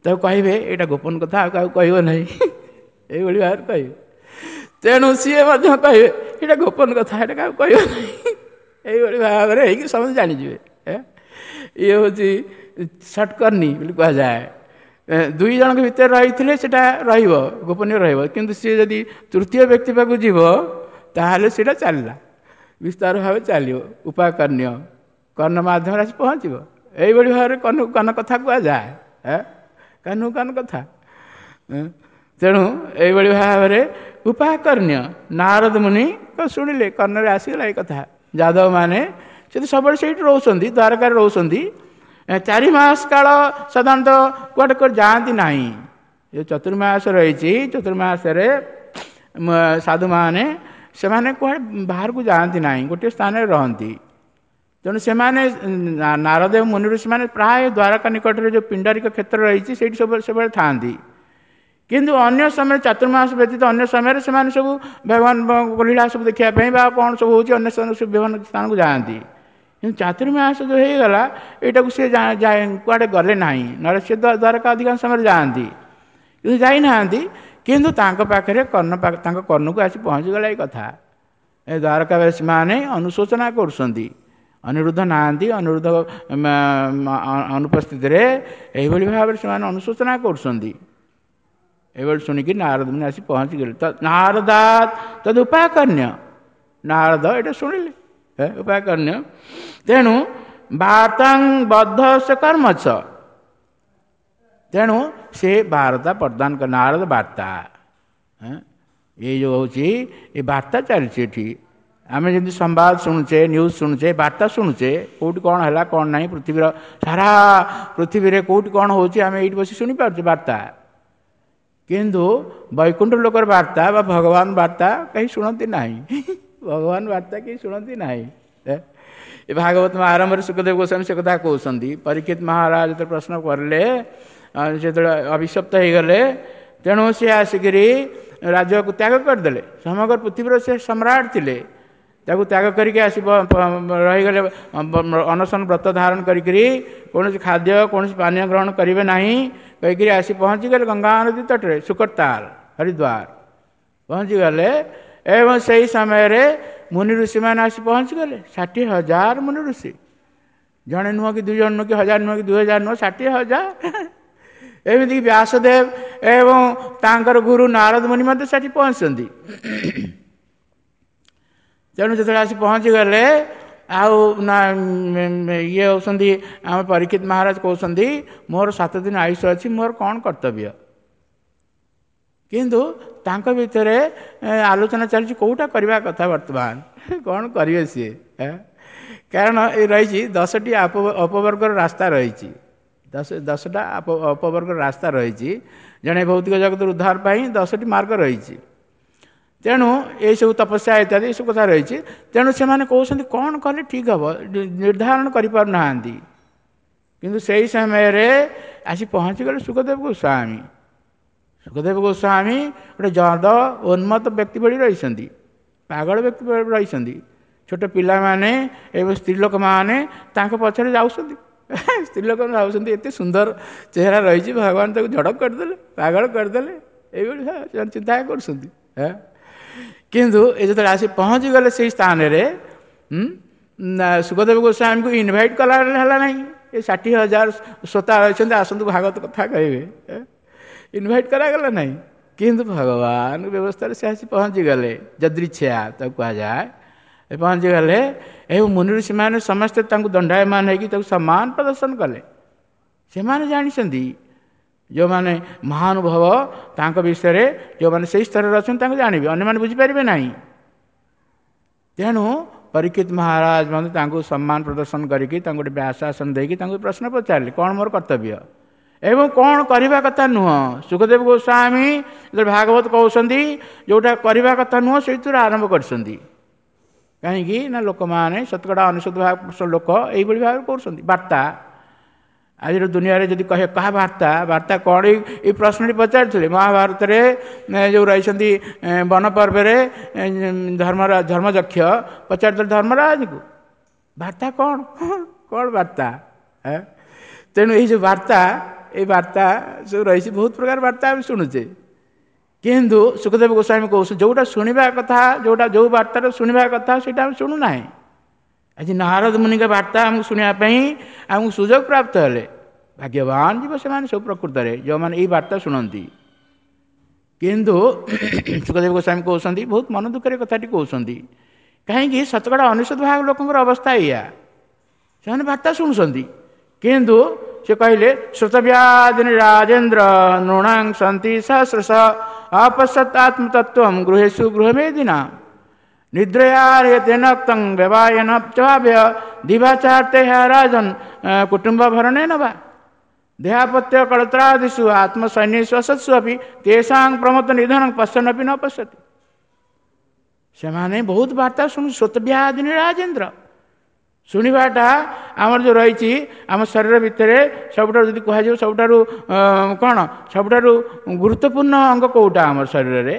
S1: ତାକୁ କହିବେ ଏଇଟା ଗୋପନ କଥା, ଆଉ କାହାକୁ କହିବ ନାହିଁ, ଏଇଭଳି ଭାବରେ କହିବେ। ତେଣୁ ସିଏ ମଧ୍ୟ କହିବେ ଏଇଟା ଗୋପନ କଥା, ଏଇଟା କାହାକୁ କହିବ ନାହିଁ, ଏଇଭଳି ଭାବରେ ହେଇକି ସମସ୍ତେ ଜାଣିଯିବେ। ଇଏ ହେଉଛି ସଟକର୍ଣ୍ଣି ବୋଲି କୁହାଯାଏ। 2 ଜଣଙ୍କ ଭିତରେ ରହିଥିଲେ ସେଟା ରହିବ, ଗୋପନୀୟ ରହିବ, କିନ୍ତୁ ସିଏ ଯଦି ତୃତୀୟ ବ୍ୟକ୍ତି ପାଖକୁ ଯିବ ତାହେଲେ ସେଇଟା ଚାଲିଲା, ବିସ୍ତାର ଭାବେ ଚାଲିବ। ଉପାକର୍ଣ୍ଣ୍ୟ କର୍ଣ୍ଣ ମାଧ୍ୟମରେ ଆସି ପହଞ୍ଚିବ। ଏଇଭଳି ଭାବରେ କର୍ଣ୍ଣକୁ କର୍ଣ୍ଣ କଥା କୁହାଯାଏ, କାନକୁ କାନ କଥା। ତେଣୁ ଏଇଭଳି ଭାବରେ ଉପାକର୍ଣ୍ଣ୍ୟ ନାରଦ ମୁନି ଶୁଣିଲେ, କର୍ଣ୍ଣରେ ଆସିଗଲା ଏଇ କଥା। ଯାଦବମାନେ ସେ ତ ସବୁବେଳେ ସେଇଠି ରହୁଛନ୍ତି, ଦ୍ୱାରକାରେ ରହୁଛନ୍ତି। 4 ମାସ କାଳ ସାଧାରଣତଃ କୁଆଡ଼େ କୁଆଡ଼େ ଯାଆନ୍ତି ନାହିଁ। ଏ ଚତୁର୍ମାସ ରହିଛି, ଚତୁର୍ମାସରେ ସାଧୁମାନେ ସେମାନେ କୁଆଡ଼େ ବାହାରକୁ ଯାଆନ୍ତି ନାହିଁ, ଗୋଟିଏ ସ୍ଥାନରେ ରହନ୍ତି। ତେଣୁ ସେମାନେ ନାରଦ ମୁନି ଋଷିମାନେ ପ୍ରାୟ ଦ୍ୱାରକା ନିକଟରେ ଯେଉଁ ପିଣ୍ଡାରିକ କ୍ଷେତ୍ର ରହିଛି ସେଇଠି ସବୁବେଳେ ଥାଆନ୍ତି। କିନ୍ତୁ ଅନ୍ୟ ସମୟରେ ଚାତୁର୍ମାସ ବ୍ୟତୀତ ଅନ୍ୟ ସମୟରେ ସେମାନେ ସବୁ ଭଗବାନ ଲୀଳା ସବୁ ଦେଖିବା ପାଇଁ ବା କ'ଣ ସବୁ ହେଉଛି ଅନ୍ୟ ସବୁ ବିଭିନ୍ନ ସ୍ଥାନକୁ ଯାଆନ୍ତି। କିନ୍ତୁ ଚାତୁର୍ମାସ ଯେଉଁ ହେଇଗଲା ଏଇଟାକୁ ସିଏ କୁଆଡ଼େ ଗଲେ ନାହିଁ, ନହେଲେ ସେ ଦ୍ୱାରକା ଅଧିକାଂଶ ସମୟରେ ଯାଆନ୍ତି, କିନ୍ତୁ ଯାଇନାହାନ୍ତି। କିନ୍ତୁ ତାଙ୍କ ପାଖରେ କର୍ଣ୍ଣ ତାଙ୍କ କର୍ଣ୍ଣକୁ ଆସି ପହଞ୍ଚିଗଲା ଏଇ କଥା। ଏ ଦ୍ୱାରକାବାସୀମାନେ ଅନୁଶୋଚନା କରୁଛନ୍ତି, ଅନିରୁଦ୍ଧ ନାହାନ୍ତି, ଅନିରୁଦ୍ଧ ଅନୁପସ୍ଥିତିରେ ଏଇଭଳି ଭାବରେ ସେମାନେ ଅନୁଶୋଚନା କରୁଛନ୍ତି। ଏଇଭଳି ଶୁଣିକି ନାରଦ ମୁନି ଆସି ପହଞ୍ଚିଗଲେ। ନାରଦା ତଦ୍ ଉପାକର୍ଣ୍ଣ୍ୟ, ନାରଦ ଏଇଟା ଶୁଣିଲେ ଉପାକର୍ଣ୍ଣ୍ୟ। ତେଣୁ ବାର୍ତ୍ତାଂ ବଦ୍ଧ ସେ କର୍ମଛ, ତେଣୁ ସେ ବାର୍ତ୍ତା ପ୍ରଦାନ କଲେ, ନାରଦ ବାର୍ତ୍ତା। ଏଇ ଯେଉଁ ହେଉଛି ଏ ବାର୍ତ୍ତା ଚାଲିଛି ଏଠି। ଆମେ ଯେମିତି ସମ୍ବାଦ ଶୁଣୁଛେ, ନ୍ୟୁଜ୍ ଶୁଣୁଛେ, ବାର୍ତ୍ତା ଶୁଣୁଛେ, କେଉଁଠି କ'ଣ ହେଲା କ'ଣ ନାହିଁ, ପୃଥିବୀର ସାରା ପୃଥିବୀରେ କେଉଁଠି କ'ଣ ହେଉଛି ଆମେ ଏଇଠି ବସି ଶୁଣିପାରୁଛେ ବାର୍ତ୍ତା। କିନ୍ତୁ ବୈକୁଣ୍ଠ ଲୋକର ବାର୍ତ୍ତା ବା ଭଗବାନ ବାର୍ତ୍ତା କେହି ଶୁଣନ୍ତି ନାହିଁ, ଭଗବାନ ବାର୍ତ୍ତା କେହି ଶୁଣନ୍ତି ନାହିଁ। ଏ ଭାଗବତ ଆରମ୍ଭରେ ଶୁକଦେବ ଗୋସ୍ୱାମୀ ସେ କଥା କହୁଛନ୍ତି। ପରୀକ୍ଷିତ ମହାରାଜ ଯେତେବେଳେ ପ୍ରଶ୍ନ କଲେ, ଯେତେବେଳେ ଅଭିଶପ୍ତ ହେଇଗଲେ, ତେଣୁ ସେ ଆସିକିରି ରାଜ୍ୟକୁ ତ୍ୟାଗ କରିଦେଲେ। ସମଗ୍ର ପୃଥିବୀର ସେ ସମ୍ରାଟ ଥିଲେ, ତାକୁ ତ୍ୟାଗ କରିକି ଆସି ରହିଗଲେ, ଅନଶନ ବ୍ରତ ଧାରଣ କରିକିରି କୌଣସି ଖାଦ୍ୟ କୌଣସି ପାନୀୟ ଗ୍ରହଣ କରିବେ ନାହିଁ କହିକିରି ଆସି ପହଞ୍ଚିଗଲେ ଗଙ୍ଗା ନଦୀ ତଟରେ, ସୁକରତାଲ ହରିଦ୍ୱାର ପହଞ୍ଚିଗଲେ। ଏବଂ ସେହି ସମୟରେ ମୁନି ଋଷିମାନେ ଆସି ପହଞ୍ଚିଗଲେ, 60,000 ମୁନି ଋଷି, ଜଣେ ନୁହଁ କି 2 ଜଣ ନୁହଁ କି 1000 ନୁହଁ କି 2000 ନୁହଁ, 60,000। ଏମିତିକି ବ୍ୟାସଦେବ ଏବଂ ତାଙ୍କର ଗୁରୁ ନାରଦ ମୁନି ମଧ୍ୟ ସେଠି ପହଞ୍ଚିଛନ୍ତି। ତେଣୁ ଯେତେବେଳେ ଆସି ପହଞ୍ଚିଗଲେ, ଆଉ ନା ଇଏ ହେଉଛନ୍ତି ଆମ ପରୀକ୍ଷିତ ମହାରାଜ କହୁଛନ୍ତି ମୋର 7 ଦିନ ଆୟୁଷ ଅଛି, ମୋର କ'ଣ କର୍ତ୍ତବ୍ୟ? କିନ୍ତୁ ତାଙ୍କ ଭିତରେ ଆଲୋଚନା ଚାଲିଛି କେଉଁଟା କରିବା କଥା, ବର୍ତ୍ତମାନ କ'ଣ କରିବେ ସିଏ। କାରଣ ଏ ରହିଛି 10ଟି ଅପବର୍ଗର ରାସ୍ତା ରହିଛି, 10ଟା ଅପବର୍ଗର ରାସ୍ତା ରହିଛି। ଜଣେ ଭୌତିକ ଜଗତର ଉଦ୍ଧାର ପାଇଁ 10ଟି ମାର୍ଗ ରହିଛି। ତେଣୁ ଏଇସବୁ ତପସ୍ୟା ଇତ୍ୟାଦି ଏସବୁ କଥା ରହିଛି। ତେଣୁ ସେମାନେ କହୁଛନ୍ତି କ'ଣ କଲେ ଠିକ୍ ହେବ, ନିର୍ଦ୍ଧାରଣ କରିପାରୁନାହାନ୍ତି। କିନ୍ତୁ ସେଇ ସମୟରେ ଆସି ପହଞ୍ଚିଗଲେ ଶୁକଦେବ ଗୋସ୍ୱାମୀ। ଶୁକଦେବ ଗୋସ୍ୱାମୀ ଗୋଟେ ଜଦ ଉନ୍ମତ୍ତ ବ୍ୟକ୍ତି ଭଳି ରହିଛନ୍ତି, ପାଗଳ ବ୍ୟକ୍ତି ଭଳି ରହିଛନ୍ତି। ଛୋଟ ପିଲାମାନେ ଏବଂ ସ୍ତ୍ରୀ ଲୋକମାନେ ତାଙ୍କ ପଛରେ ଯାଉଛନ୍ତି। ସ୍ତ୍ରୀ ଲୋକମାନେ ଭାବୁଛନ୍ତି ଏତେ ସୁନ୍ଦର ଚେହେରା ରହିଛି, ଭଗବାନ ତାକୁ ଝଡ଼କ କରିଦେଲେ, ପାଗଳ କରିଦେଲେ, ଏଇଭଳି ସେମାନେ ଚିନ୍ତା କରୁଛନ୍ତି। କିନ୍ତୁ ଏ ଯେତେବେଳେ ଆସି ପହଞ୍ଚିଗଲେ ସେଇ ସ୍ଥାନରେ, ଶୁକଦେବ ଗୋସ୍ୱାମୀଙ୍କୁ ଇନଭାଇଟ୍ କଲା ହେଲା ନାହିଁ। ଏ 60,000 ଶ୍ରୋତା ରହିଛନ୍ତି, ଆସନ୍ତୁ ଭାଗବତ କଥା କହିବେ, ଇନଭାଇଟ୍ କରାଗଲା ନାହିଁ। କିନ୍ତୁ ଭଗବାନ ବ୍ୟବସ୍ଥାରେ ସେ ଆସି ପହଞ୍ଚିଗଲେ, ଯଦୃଚ୍ଛା ତାକୁ କୁହାଯାଏ, ପହଞ୍ଚିଗଲେ। ଏବଂ ମୁନି ଋଷିମାନେ ସମସ୍ତେ ତାଙ୍କୁ ଦଣ୍ଡାୟମାନ ହେଇକି ତାକୁ ସମ୍ମାନ ପ୍ରଦର୍ଶନ କଲେ। ସେମାନେ ଜାଣିଛନ୍ତି, ଯେଉଁମାନେ ମହାନୁଭବ ତାଙ୍କ ବିଷୟରେ, ଯେଉଁମାନେ ସେଇ ସ୍ତରରେ ଅଛନ୍ତି ତାଙ୍କୁ ଜାଣିବେ, ଅନ୍ୟମାନେ ବୁଝିପାରିବେ ନାହିଁ। ତେଣୁ ପରୀକ୍ଷିତ ମହାରାଜ ମଧ୍ୟ ତାଙ୍କୁ ସମ୍ମାନ ପ୍ରଦର୍ଶନ କରିକି ତାଙ୍କୁ ଗୋଟେ ବ୍ୟାସାସନ ଦେଇକି ତାଙ୍କୁ ପ୍ରଶ୍ନ ପଚାରିଲେ, କ'ଣ ମୋର କର୍ତ୍ତବ୍ୟ ଏବଂ କ'ଣ କରିବା କଥା ନୁହଁ। ଶୁକଦେବ ଗୋସ୍ୱାମୀ ଯେତେବେଳେ ଭାଗବତ କହୁଛନ୍ତି, ଯେଉଁଟା କରିବା କଥା ନୁହଁ ସେଇଥିରୁ ଆରମ୍ଭ କରିଛନ୍ତି। କାହିଁକି ନା ଲୋକମାନେ ଶତକଡ଼ା 99 ଭାଗ ଲୋକ ଏଇଭଳି ଭାବରେ କରୁଛନ୍ତି ବାର୍ତ୍ତା। ଆଜିର ଦୁନିଆରେ ଯଦି କହିବେ କାହା ବାର୍ତ୍ତା, ବାର୍ତ୍ତା କ'ଣ, ଏଇ ପ୍ରଶ୍ନଟି ପଚାରିଥିଲେ ମହାଭାରତରେ ଯେଉଁ ରହିଛନ୍ତି ବନପର୍ବରେ ଧର୍ମଯକ୍ଷ ପଚାରିଥିଲେ ଧର୍ମରାଜଙ୍କୁ, ବାର୍ତ୍ତା କ'ଣ, କ'ଣ ବାର୍ତ୍ତା? ତେଣୁ ଏଇ ଯେଉଁ ବାର୍ତ୍ତା, ଏଇ ବାର୍ତ୍ତା ସବୁ ରହିଛି, ବହୁତ ପ୍ରକାର ବାର୍ତ୍ତା ଆମେ ଶୁଣୁଛେ। କିନ୍ତୁ ଶୁକଦେବ ଗୋସ୍ୱାମୀ କହୁଛନ୍ତି ଯେଉଁଟା ଶୁଣିବା କଥା, ଯେଉଁ ବାର୍ତ୍ତାଟା ଶୁଣିବା କଥା ସେଇଟା ଆମେ ଶୁଣୁନାହିଁ। ଆଜି ନାରଦ ମୁନିଙ୍କ ବାର୍ତ୍ତା ଆମକୁ ଶୁଣିବା ପାଇଁ ଆମକୁ ସୁଯୋଗ ପ୍ରାପ୍ତ ହେଲେ, ଭାଗ୍ୟବାନ ଯିବ ସେମାନେ ସବୁ ପ୍ରକୃତରେ ଯେଉଁମାନେ ଏଇ ବାର୍ତ୍ତା ଶୁଣନ୍ତି। କିନ୍ତୁ ଶୁକଦେବ ଗୋସ୍ୱାମୀ କହୁଛନ୍ତି, ବହୁତ ମନ ଦୁଃଖରେ କଥାଟି କହୁଛନ୍ତି, କାହିଁକି ଶତକଡ଼ା 99 ଭାଗ ଲୋକଙ୍କର ଅବସ୍ଥା ଏଇଆ, ସେମାନେ ବାର୍ତ୍ତା ଶୁଣୁଛନ୍ତି। କିନ୍ତୁ ସେ କହିଲେ ଶ୍ରୋତବ୍ୟାଦିନି ରାଜେନ୍ଦ୍ର ନୃଣାଂ ସନ୍ତି ସହସ୍ରଶ ଅପଶ୍ୟତ ଆତ୍ମତତ୍ତ୍ୱಂ ଗୃହେଷୁ ଗୃହମେଦିନା ନିଦ୍ରୟାରେତେନକ୍ତଂ ବ୍ୟବାୟନ ଚଭାବ୍ୟ ଦିବାଚାର୍ତେ ରାଜନ କୁଟୁମ୍ବ ଭରଣେନ ବା ଦେହାପତ୍ୟ କଳତ୍ରାଦିଷୁ ଆତ୍ମସୈନ୍ୟେଷୁ ଅସତ୍ସୁ ଅପି ତେଷାଂ ପ୍ରମତ୍ତ ନିଧନଂ ପଶ୍ୟନପି ନ ପଶ୍ୟତି। ସେମାନେ ବହୁତ ବାର୍ତ୍ତା ଶୁଣୁ, ଶ୍ରୋତବ୍ୟାଦିନି ରାଜେନ୍ଦ୍ର, ଶୁଣିବାଟା ଆମର ଯେଉଁ ରହିଛି ଆମ ଶରୀର ଭିତରେ ସବୁଠାରୁ ଯଦି କୁହାଯିବ ସବୁଠାରୁ କ'ଣ ସବୁଠାରୁ ଗୁରୁତ୍ୱପୂର୍ଣ୍ଣ ଅଙ୍ଗ କେଉଁଟା ଆମର ଶରୀରରେ,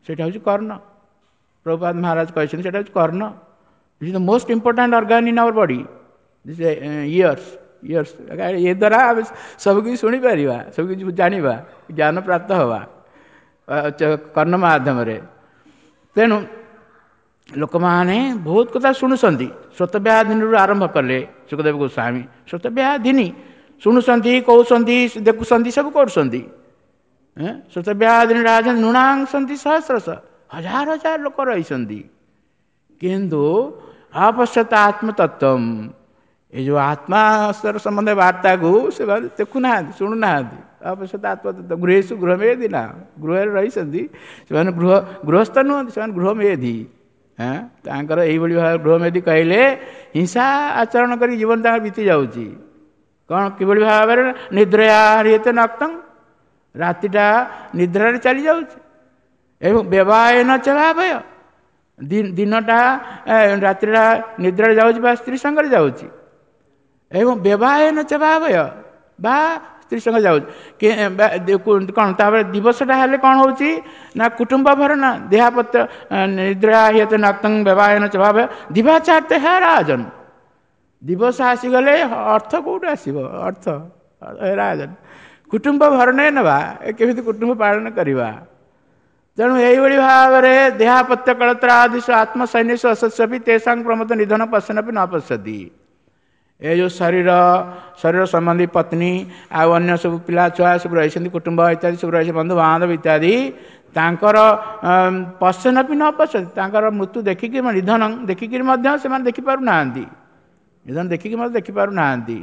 S1: ସେଇଟା ହେଉଛି କର୍ଣ୍ଣ। ପ୍ରଭୁପାଦ ମହାରାଜ କହିଛନ୍ତି ସେଇଟା ହେଉଛି କର୍ଣ୍ଣ। It is the most important organ in our body, this ears. Ears ଏ ଦ୍ୱାରା ଆମେ ସବୁକିଛି ଶୁଣିପାରିବା, ସବୁକିଛି ଜାଣିବା, ଜ୍ଞାନ ପ୍ରାପ୍ତ ହେବା କର୍ଣ୍ଣ ମାଧ୍ୟମରେ। ତେଣୁ ଲୋକମାନେ ବହୁତ କଥା ଶୁଣୁଛନ୍ତି। ଶ୍ରୋତବ୍ୟାଧିନୀରୁ ଆରମ୍ଭ କଲେ ଶୁକଦେବ ଗୋସ୍ୱାମୀ, ଶ୍ରୋତବ୍ୟାଧିନୀ ଶୁଣୁଛନ୍ତି, କହୁଛନ୍ତି, ଦେଖୁଛନ୍ତି, ସବୁ କରୁଛନ୍ତି। ଶ୍ରୋତବ୍ୟାଧିନୀ ରାଜ ନୃଣାଂସନ୍ତି ସହସ୍ରଶ, ହଜାର ହଜାର ଲୋକ ରହିଛନ୍ତି। କିନ୍ତୁ ଅପଶ୍ୟତ ଆତ୍ମତତ୍ତ୍ୱം, ଏ ଯେଉଁ ଆତ୍ମା ସମ୍ବନ୍ଧ ବାର୍ତ୍ତାକୁ ସେମାନେ ଦେଖୁନାହାନ୍ତି, ଶୁଣୁନାହାନ୍ତି। ଅପଶ୍ୟତ ଆତ୍ମତତ୍ତ୍ୱ ଗୃହେଷୁ ଗୃହମେଧି ନା, ଗୃହରେ ରହିଛନ୍ତି ସେମାନେ, ଗୃହସ୍ଥ ନୁହନ୍ତି, ସେମାନେ ଗୃହମେଧି। ତାଙ୍କର ଏଇଭଳି ଭାବେ ଗୃହମେଧି କହିଲେ ହିଂସା ଆଚରଣ କରି ଜୀବନ ତାଙ୍କର ବିତି ଯାଉଛି। କ'ଣ କିଭଳି ଭାବରେ ନିଦ୍ରୟା ହରିୟତେ ନକ୍ତଂ, ରାତିଟା ନିଦ୍ରାରେ ଚାଲି ଯାଉଛି। ଏବଂ ବ୍ୟବହାୟନ ଚ ଭାବୟ, ଦିନଟା ରାତ୍ରିଟା ନିଦ୍ରାରେ ଯାଉଛି ବା ସ୍ତ୍ରୀ ସଙ୍ଗରେ ଯାଉଛି। ଏବଂ ବ୍ୟବହାୟନ ଚ ଭାବୟ, ବା ସ୍ତ୍ରୀ ସଙ୍ଗରେ ଯାଉଛି କ'ଣ? ତାପରେ ଦିବସଟା ହେଲେ କ'ଣ ହେଉଛି ନା କୁଟୁମ୍ବ ଭରଣ ଦେହାପତ୍ର ନିଦ୍ରା ହିୟତ ନକ୍ତଂ ବ୍ୟବହାୟନ ଚ ଭାବୟ ଦିବାଚାର୍ତ୍ତେ ହେ ରାଜନ। ଦିବସ ଆସିଗଲେ ଅର୍ଥ କେଉଁଠୁ ଆସିବ? ଅର୍ଥ ରାଜନ କୁଟୁମ୍ବ ଭରଣେ ନେବା, କେମିତି କୁଟୁମ୍ବ ପାଳନ କରିବା? ତେଣୁ ଏଇଭଳି ଭାବରେ ଦେହାପତ୍ୟ କଳତ୍ରାଦିଶ ଆତ୍ମସୈନ୍ୟସ ଅସତ୍ସପି ତେସାଂ ପ୍ରମୋଦ ନିଧନ ପଶ୍ୟନପି ନ ପଶ୍ୟତି। ଏ ଯେଉଁ ଶରୀର, ଶରୀର ସମ୍ବନ୍ଧୀ ପତ୍ନୀ ଆଉ ଅନ୍ୟ ସବୁ ପିଲା ଛୁଆ ସବୁ ରହିଛନ୍ତି, କୁଟୁମ୍ବ ଇତ୍ୟାଦି ସବୁ ରହିছে, ବନ୍ଧୁବାନ୍ଧବ ଇତ୍ୟାଦି, ତାଙ୍କର ପଶ୍ୟନପି ନ ପଶ୍ୟତି, ତାଙ୍କର ମୃତ୍ୟୁ ଦେଖିକି, ନିଧନ ଦେଖିକିରି ମଧ୍ୟ ସେମାନେ ଦେଖିପାରୁନାହାନ୍ତି, ନିଧନ ଦେଖିକି ମଧ୍ୟ ଦେଖିପାରୁନାହାନ୍ତି।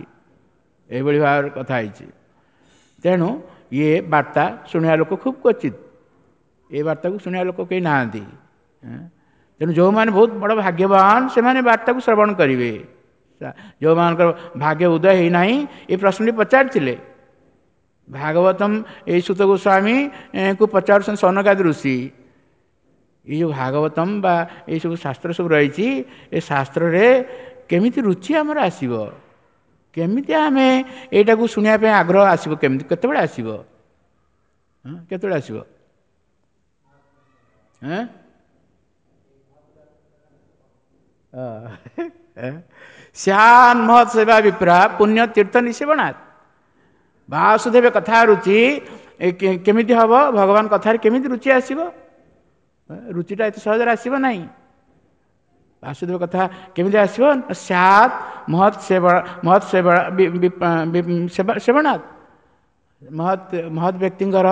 S1: ଏଇଭଳି ଭାବରେ କଥା ହେଇଛି। ତେଣୁ ଇଏ ବାର୍ତ୍ତା ଶୁଣିବା ଲୋକ ଖୁବ୍ କ୍ୱଚିତ, ଏ ବାର୍ତ୍ତାକୁ ଶୁଣିବା ଲୋକ କେହି ନାହାନ୍ତି। ତେଣୁ ଯେଉଁମାନେ ବହୁତ ବଡ଼ ଭାଗ୍ୟବାନ ସେମାନେ ବାର୍ତ୍ତାକୁ ଶ୍ରବଣ କରିବେ। ଯେଉଁମାନଙ୍କର ଭାଗ୍ୟ ଉଦୟ ହେଇନାହିଁ, ଏ ପ୍ରଶ୍ନଟି ପଚାରିଥିଲେ ଭାଗବତମ ଏଇ ସୁତ ଗୋସ୍ୱାମୀକୁ ପଚାରୁଛନ୍ତି ସନକାଦି ଋଷି, ଏଇ ଯେଉଁ ଭାଗବତମ ବା ଏଇସବୁ ଶାସ୍ତ୍ର ସବୁ ରହିଛି, ଏ ଶାସ୍ତ୍ରରେ କେମିତି ରୁଚି ଆମର ଆସିବ, କେମିତି ଆମେ ଏଇଟାକୁ ଶୁଣିବା ପାଇଁ ଆଗ୍ରହ ଆସିବ, କେମିତି, କେତେବେଳେ ଆସିବ, କେତେବେଳେ ଆସିବ? ଶ୍ୟାନ ମହତ୍ ସେବା ବିପ୍ରା ପୁଣ୍ୟ ତୀର୍ଥ ନିଷେବଣାତ୍। ବାସୁଦେବ କଥା ରୁଚି କେମିତି ହେବ? ଭଗବାନ କଥାରେ କେମିତି ରୁଚି ଆସିବ? ରୁଚିଟା ଏତେ ସହଜରେ ଆସିବ ନାହିଁ। ବାସୁଦେବ କଥା କେମିତି ଆସିବ? ସ୍ୟାତ୍ ମହତ୍ ସେବା, ମହତ୍ ସେବା ସେବଣାତ୍, ମହତ୍ ମହତ୍ ବ୍ୟକ୍ତିଙ୍କର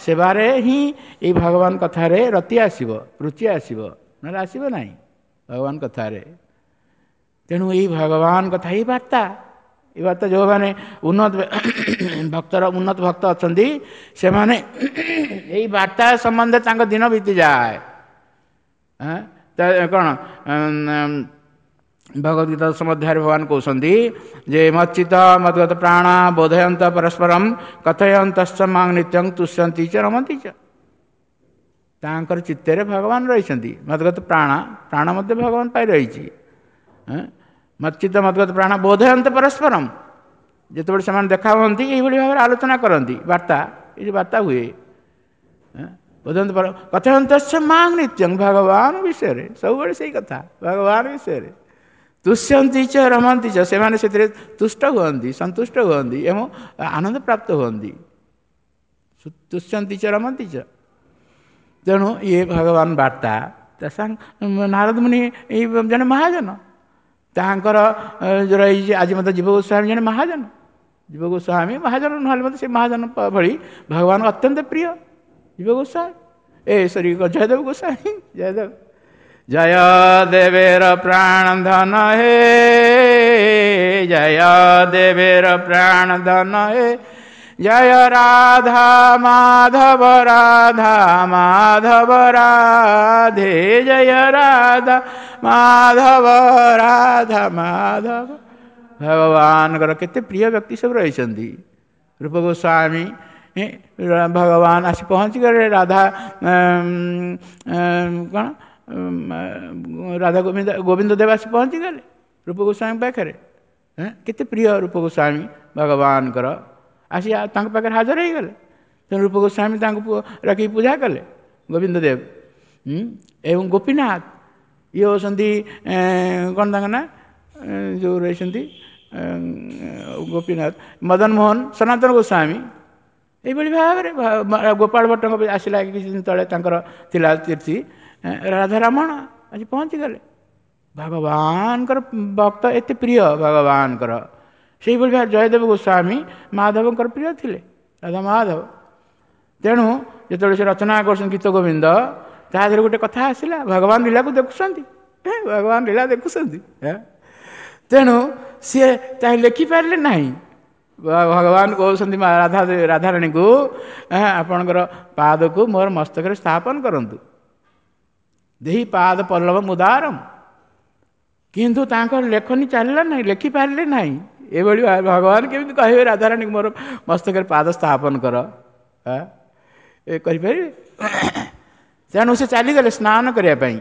S1: ସେବାରେ ହିଁ ଏଇ ଭଗବାନ କଥାରେ ରତି ଆସିବ, ରୁଚି ଆସିବ, ନହେଲେ ଆସିବ ନାହିଁ ଭଗବାନ କଥାରେ। ତେଣୁ ଏଇ ଭଗବାନ କଥା, ଏଇ ବାର୍ତ୍ତା, ଏଇ ବାର୍ତ୍ତା ଯେଉଁମାନେ ଉନ୍ନତ ଭକ୍ତର ଉନ୍ନତ ଭକ୍ତ ଅଛନ୍ତି, ସେମାନେ ଏଇ ବାର୍ତ୍ତା ସମ୍ବନ୍ଧରେ ତାଙ୍କ ଦିନ ବିତିଯାଏ। କ'ଣ ଭଗବତ ଗୀତା ମଧ୍ୟରେ ଭଗବାନ କହୁଛନ୍ତି ଯେ ମଚ୍ଚିତ ମଦ୍ଗତ ପ୍ରାଣ ବୋଧୟନ୍ତ ପରସ୍ପରମ କଥୟନ୍ତଶ୍ଚ ମାଂ ନିତ୍ୟଂ ତୁଷ୍ୟନ୍ତି ଚ ରମନ୍ତି ଚ। ତାଙ୍କର ଚିତ୍ତରେ ଭଗବାନ ରହିଛନ୍ତି। ମଦ୍ଗତ ପ୍ରାଣ, ପ୍ରାଣ ମଧ୍ୟ ଭଗବାନ ପାଇ ରହିଛି। ମଚ୍ଚିତ ମଦ୍ଗତ ପ୍ରାଣ ବୋଧୟନ୍ତ ପରସ୍ପରମ, ଯେତେବେଳେ ସେମାନେ ଦେଖା ହୁଅନ୍ତି ଏଇଭଳି ଭାବରେ ଆଲୋଚନା କରନ୍ତି, ବାର୍ତ୍ତା, ଏଇ ଯେଉଁ ବାର୍ତ୍ତା ହୁଏ, ବୋଧୟନ୍ତ କଥୟନ୍ତଶ୍ଚ ମାଂ ନିତ୍ୟଂ, ଭଗବାନ ବିଷୟରେ ସବୁବେଳେ ସେଇ କଥା, ଭଗବାନ ବିଷୟରେ ତୁଷ୍ୟନ୍ତି ଚ ରମନ୍ତି ଚ, ସେମାନେ ସେଥିରେ ତୁଷ୍ଟ ହୁଅନ୍ତି, ସନ୍ତୁଷ୍ଟ ହୁଅନ୍ତି ଏବଂ ଆନନ୍ଦ ପ୍ରାପ୍ତ ହୁଅନ୍ତି। ତୁଷ୍ୟନ୍ତି ଚ ରମନ୍ତି ଚ। ତେଣୁ ଇଏ ଭଗବାନ ବାର୍ତ୍ତା। ନାରଦ ମୁନି ଏଇ ଜଣେ ମହାଜନ, ତାଙ୍କର ରହିଛି ଆଜି ମଧ୍ୟ ଜୀବ ଗୋସ୍ୱାମୀ ଜଣେ ମହାଜନ, ଜୀବ ଗୋସ୍ୱାମୀ ମହାଜନ ନହେଲେ ମଧ୍ୟ ସେ ମହାଜନ ଭଳି ଭଗବାନ ଅତ୍ୟନ୍ତ ପ୍ରିୟ ଜୀବ ଗୋସ୍ୱାମୀ, ଏ ସରି ଜୟଦେବ ଗୋସ୍ୱାମୀ। ଜୟଦେବ ଜୟ ଦେବେର ପ୍ରାଣ ଧନ ହେ, ଜୟ ଦେବେର ପ୍ରାଣ ଧନ ହେ, ଜୟ ରାଧା ମାଧବ ରାଧା ମାଧବ ରାଧେ, ଜୟ ରାଧା ମାଧବ ରାଧା ମାଧବ। ଭଗବାନଙ୍କର କେତେ ପ୍ରିୟ ବ୍ୟକ୍ତି ସବୁ ରହିଛନ୍ତି। ରୂପ ଗୋସ୍ୱାମୀ ଭଗବାନ ଆସି ପହଞ୍ଚିଗଲେ ରାଧା କ'ଣ ରାଧା ଗୋବିନ୍ଦ, ଗୋବିନ୍ଦ ଦେବ ଆସି ପହଞ୍ଚିଗଲେ ରୂପ ଗୋସ୍ୱାମୀ ପାଖରେ। କେତେ ପ୍ରିୟ ରୂପ ଗୋସ୍ୱାମୀ ଭଗବାନଙ୍କର, ଆସି ତାଙ୍କ ପାଖରେ ହାଜର ହେଇଗଲେ। ତେଣୁ ରୂପ ଗୋସ୍ୱାମୀ ତାଙ୍କୁ ରଖିକି ପୂଜା କଲେ ଗୋବିନ୍ଦ ଦେବ। ଏବଂ ଗୋପୀନାଥ ଇଏ ହେଉଛନ୍ତି କ'ଣ ତାଙ୍କ ନାଁ, ଯେଉଁ ରହିଛନ୍ତି ଗୋପୀନାଥ, ମଦନ ମୋହନ, ସନାତନ ଗୋସ୍ୱାମୀ। ଏଇଭଳି ଭାବରେ ଗୋପାଳ ଭଟ୍ଟଙ୍କ ଆସିଲା କିଛି ଦିନ ତଳେ ତାଙ୍କର ଥିଲା ତିଥି, ରାଧାରମଣ ଆଜି ପହଞ୍ଚିଗଲେ। ଭଗବାନଙ୍କର ଭକ୍ତ ଏତେ ପ୍ରିୟ ଭଗବାନଙ୍କର। ସେଇଭଳି ଭାବେ ଜୟଦେବ ଗୋସ୍ୱାମୀ ମାଧବଙ୍କର ପ୍ରିୟ ଥିଲେ, ରାଧା ମାଧବ। ତେଣୁ ଯେତେବେଳେ ସେ ରଚନା କରୁଛନ୍ତି ଗୀତ ଗୋବିନ୍ଦ, ତା ଦେହରେ ଗୋଟେ କଥା ଆସିଲା, ଭଗବାନ ଲୀଳାକୁ ଦେଖୁଛନ୍ତି, ଭଗବାନ ଲୀଳା ଦେଖୁଛନ୍ତି। ତେଣୁ ସିଏ ତାହା ଲେଖିପାରିଲେ ନାହିଁ। ଭଗବାନ କହୁଛନ୍ତି ରାଧା ରାଧାରାଣୀକୁ, ଆପଣଙ୍କର ପାଦକୁ ମୋର ମସ୍ତକରେ ସ୍ଥାପନ କରନ୍ତୁ, ଦେହି ପାଦ ପଲ୍ଲବ ମୁଦାରମ। କିନ୍ତୁ ତାଙ୍କର ଲେଖନୀ ଚାଲିଲା ନାହିଁ, ଲେଖିପାରିଲେ ନାହିଁ। ଏଭଳି ଭଗବାନ କେମିତି କହିବେ ରାଧାରାଣୀକୁ ମୋର ମସ୍ତକରେ ପାଦ ସ୍ଥାପନ କର, ଏ କରିପାରିବେ? ତେଣୁ ସେ ଚାଲିଗଲେ ସ୍ନାନ କରିବା ପାଇଁ।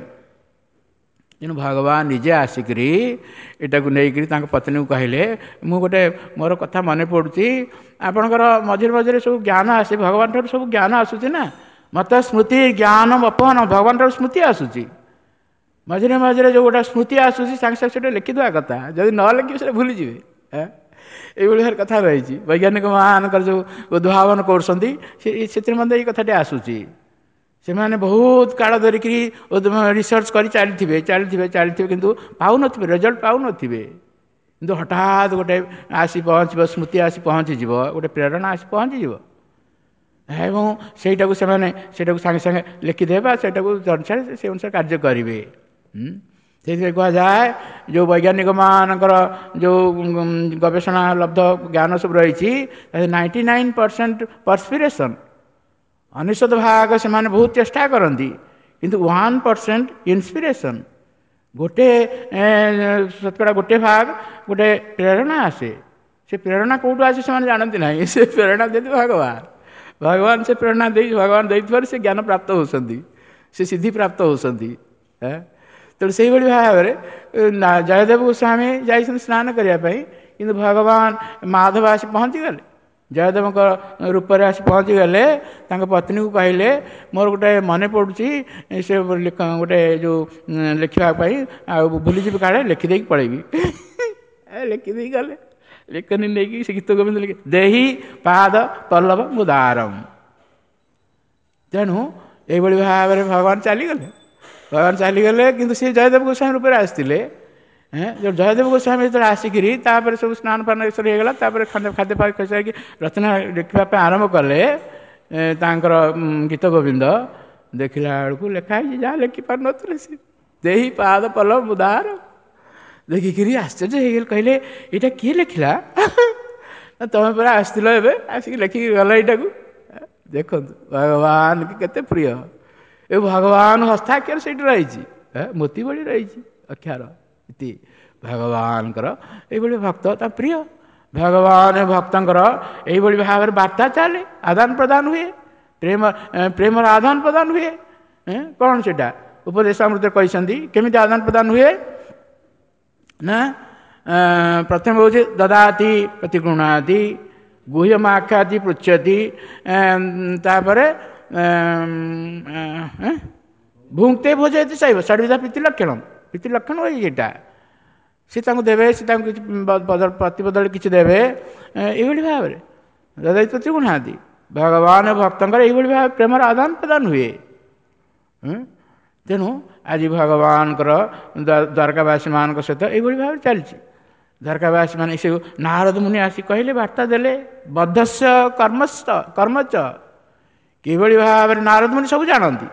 S1: ତେଣୁ ଭଗବାନ ନିଜେ ଆସିକରି ଏଟାକୁ ନେଇକରି ତାଙ୍କ ପତ୍ନୀକୁ କହିଲେ, ମୁଁ ଗୋଟେ ମୋର କଥା ମନେ ପଡ଼ୁଛି, ଆପଣଙ୍କର ମଝିରେ ମଝିରେ ସବୁ ଜ୍ଞାନ ଆସେ, ଭଗବାନ ଠାରୁ ସବୁ ଜ୍ଞାନ ଆସୁଛି ନା, ମୋତେ ସ୍ମୃତି ଜ୍ଞାନ ଅପହନ, ଭଗବାନ ଠାରୁ ସ୍ମୃତି ଆସୁଛି। ମଝିରେ ମଝିରେ ଯେଉଁ ଗୋଟେ ସ୍ମୃତି ଆସୁଛି ସାଙ୍ଗେ ସାଙ୍ଗେ ସେଟା ଲେଖିଦେବା କଥା, ଯଦି ନ ଲେଖିବେ ସେଟା ଭୁଲିଯିବେ। ଏଇଭଳି ଭାବରେ କଥା ରହିଛି। ବୈଜ୍ଞାନିକ ମାନଙ୍କର ଯେଉଁ ଉଦ୍ଭାବନ କରୁଛନ୍ତି ସେଥିରେ ମଧ୍ୟ ଏଇ କଥାଟି ଆସୁଛି। ସେମାନେ ବହୁତ କାଳ ଧରିକିରି ରିସର୍ଚ୍ଚ କରି ଚାଲିଥିବେ ଚାଲିଥିବେ ଚାଲିଥିବେ, କିନ୍ତୁ ପାଉନଥିବେ, ରେଜଲ୍ଟ ପାଉନଥିବେ। କିନ୍ତୁ ହଠାତ୍ ଗୋଟେ ଆସି ପହଞ୍ଚିବ, ସ୍ମୃତି ଆସି ପହଞ୍ଚିଯିବ, ଗୋଟେ ପ୍ରେରଣା ଆସି ପହଞ୍ଚିଯିବ, ଏବଂ ସେଇଟାକୁ ସେମାନେ ସେଇଟାକୁ ସାଙ୍ଗେ ସାଙ୍ଗେ ଲେଖିଦେବେ ବା ସେଇଟାକୁ ଅନୁସାରେ ସେ ଅନୁସାରେ କାର୍ଯ୍ୟ କରିବେ। ସେଇଥିପାଇଁ କୁହାଯାଏ ଯେଉଁ ବୈଜ୍ଞାନିକମାନଙ୍କର ଯେଉଁ ଗବେଷଣା ଲବ୍ଧ ଜ୍ଞାନ ସବୁ ରହିଛି, 99% ପର୍ସପିରେସନ୍, 99 ଭାଗ ସେମାନେ ବହୁତ ଚେଷ୍ଟା କରନ୍ତି, କିନ୍ତୁ 1% ଇନ୍ସପିରେସନ୍, ଗୋଟେ ଶତକଡ଼ା ଗୋଟେ ଭାଗ ଗୋଟେ ପ୍ରେରଣା ଆସେ। ସେ ପ୍ରେରଣା କେଉଁଠୁ ଆସେ ସେମାନେ ଜାଣନ୍ତି ନାହିଁ। ସେ ପ୍ରେରଣା ଦିଅନ୍ତି ଭଗବାନ। ଭଗବାନ ସେ ପ୍ରେରଣା ଦେଇ, ଭଗବାନ ଦେଇଥିବାରୁ ସେ ଜ୍ଞାନ ପ୍ରାପ୍ତ ହେଉଛନ୍ତି, ସେ ସିଦ୍ଧି ପ୍ରାପ୍ତ ହେଉଛନ୍ତି। ତେଣୁ ସେଇଭଳି ଭାବରେ ଜୟଦେବ ଗୋସ୍ୱାମୀ ଯାଇଛନ୍ତି ସ୍ନାନ କରିବା ପାଇଁ, କିନ୍ତୁ ଭଗବାନ ମାଧବ ଆସି ପହଞ୍ଚିଗଲେ, ଜୟଦେବଙ୍କ ରୂପରେ ଆସି ପହଞ୍ଚିଗଲେ। ତାଙ୍କ ପତ୍ନୀକୁ କହିଲେ, ମୋର ଗୋଟେ ମନେ ପଡ଼ୁଛି, ସେ ଗୋଟେ ଯେଉଁ ଲେଖିବା ପାଇଁ, ଆଉ ଭୁଲିଯିବି କାଳେ, ଲେଖିଦେଇକି ପଳେଇବି। ଲେଖିଦେଇକି ଗଲେ, ଲେଖନୀ ନେଇକି ସେ ଗୀତ ଗୋବିନ୍ଦ ଲେଖି ଦେହି ପାଦ ପଲ୍ଲବ ମୁଦାରମ। ତେଣୁ ଏଇଭଳି ଭାବରେ ଭଗବାନ ଚାଲିଗଲେ, ଭଗବାନ ଚାଲିଗଲେ, କିନ୍ତୁ ସେ ଜୟଦେବ ଗୋସ୍ୱାମୀ ରୂପରେ ଆସିଥିଲେ। ଜୟଦେବ ଗୋସ୍ୱାମୀ ଯେତେବେଳେ ଆସିକିରି ତାପରେ ସବୁ ସ୍ନାନ ଫାନ ଏସବୁ ହେଇଗଲା, ତାପରେ ଖାଦ୍ୟ ଖାଇସାରିକି ରଚନା ଲେଖିବା ପାଇଁ ଆରମ୍ଭ କଲେ ତାଙ୍କର ଗୀତ ଗୋବିନ୍ଦ। ଦେଖିଲା ବେଳକୁ ଲେଖା ହେଇଛି ଯାହା ଲେଖିପାରୁନଥିଲେ ସେ, ଦେହି ପାଦ ପଲ୍ଲବ ମୁଦାର। ଦେଖିକିରି ଆଶ୍ଚର୍ଯ୍ୟ ହେଇଗଲେ, କହିଲେ ଏଇଟା କିଏ ଲେଖିଲା? ତମେ ପରା ଆସିଥିଲ ଏବେ, ଆସିକି ଲେଖିକି ଗଲ ଏଇଟାକୁ। ଦେଖନ୍ତୁ ଭଗବାନ କେତେ ପ୍ରିୟ। ଏ ଭଗବାନ ହସ୍ତାକ୍ଷର ସେଇଠି ରହିଛି, ମୋତି ଭଳି ରହିଛି ଅକ୍ଷର ଇତି। ଭଗବାନଙ୍କର ଏଇଭଳି ଭକ୍ତ ତା ପ୍ରିୟ। ଭଗବାନ ଭକ୍ତଙ୍କର ଏଇଭଳି ଭାବରେ ବାର୍ତ୍ତା ଚାଲେ, ଆଦାନ ପ୍ରଦାନ ହୁଏ, ପ୍ରେମ ପ୍ରେମର ଆଦାନ ପ୍ରଦାନ ହୁଏ। କ'ଣ ସେଇଟା ଉପଦେଶ ଅମୃତ କହିଛନ୍ତି, କେମିତି ଆଦାନ ପ୍ରଦାନ ହୁଏ ନା, ପ୍ରଥମେ ହେଉଛି ଦଦାତି ପ୍ରତିଗୃହ୍ଣାତି, ଗୁହ୍ୟମାଖ୍ୟାତି ପୃଚ୍ଛତି, ତାପରେ ଭୁଙ୍କ୍ତେ ଭୋଜୟତି ଶୈବ ଷଡ଼ବିଧା ପ୍ରୀତି ଲକ୍ଷଣ। ପ୍ରୀତି ଲକ୍ଷଣ ଏଇଟା, ସେ ତାଙ୍କୁ ଦେବେ, ସେ ତାଙ୍କୁ କିଛି ପ୍ରତିବଦଳରେ କିଛି ଦେବେ। ଏଇଭଳି ଭାବରେ ଦଦାତି ପ୍ରତିଗୃହ୍ଣାତି, ଭଗବାନ ଭକ୍ତଙ୍କର ଏଇଭଳି ଭାବେ ପ୍ରେମର ଆଦାନ ପ୍ରଦାନ ହୁଏ। ତେଣୁ ଆଜି ଭଗବାନଙ୍କର ଦ୍ୱାରକାବାସୀମାନଙ୍କ ସହିତ ଏଇଭଳି ଭାବରେ ଚାଲିଛି। ଦ୍ୱାରକାବାସୀ ମାନେ ସେ ନାରଦ ମୁନି ଆସି କହିଲେ, ବାର୍ତ୍ତା ଦେଲେ, ବଦ୍ଧସ୍ୟ କର୍ମସ୍ଥ କର୍ମଚ। କିଭଳି ଭାବରେ ନାରଦ ମୁନି ସବୁ ଜାଣନ୍ତି,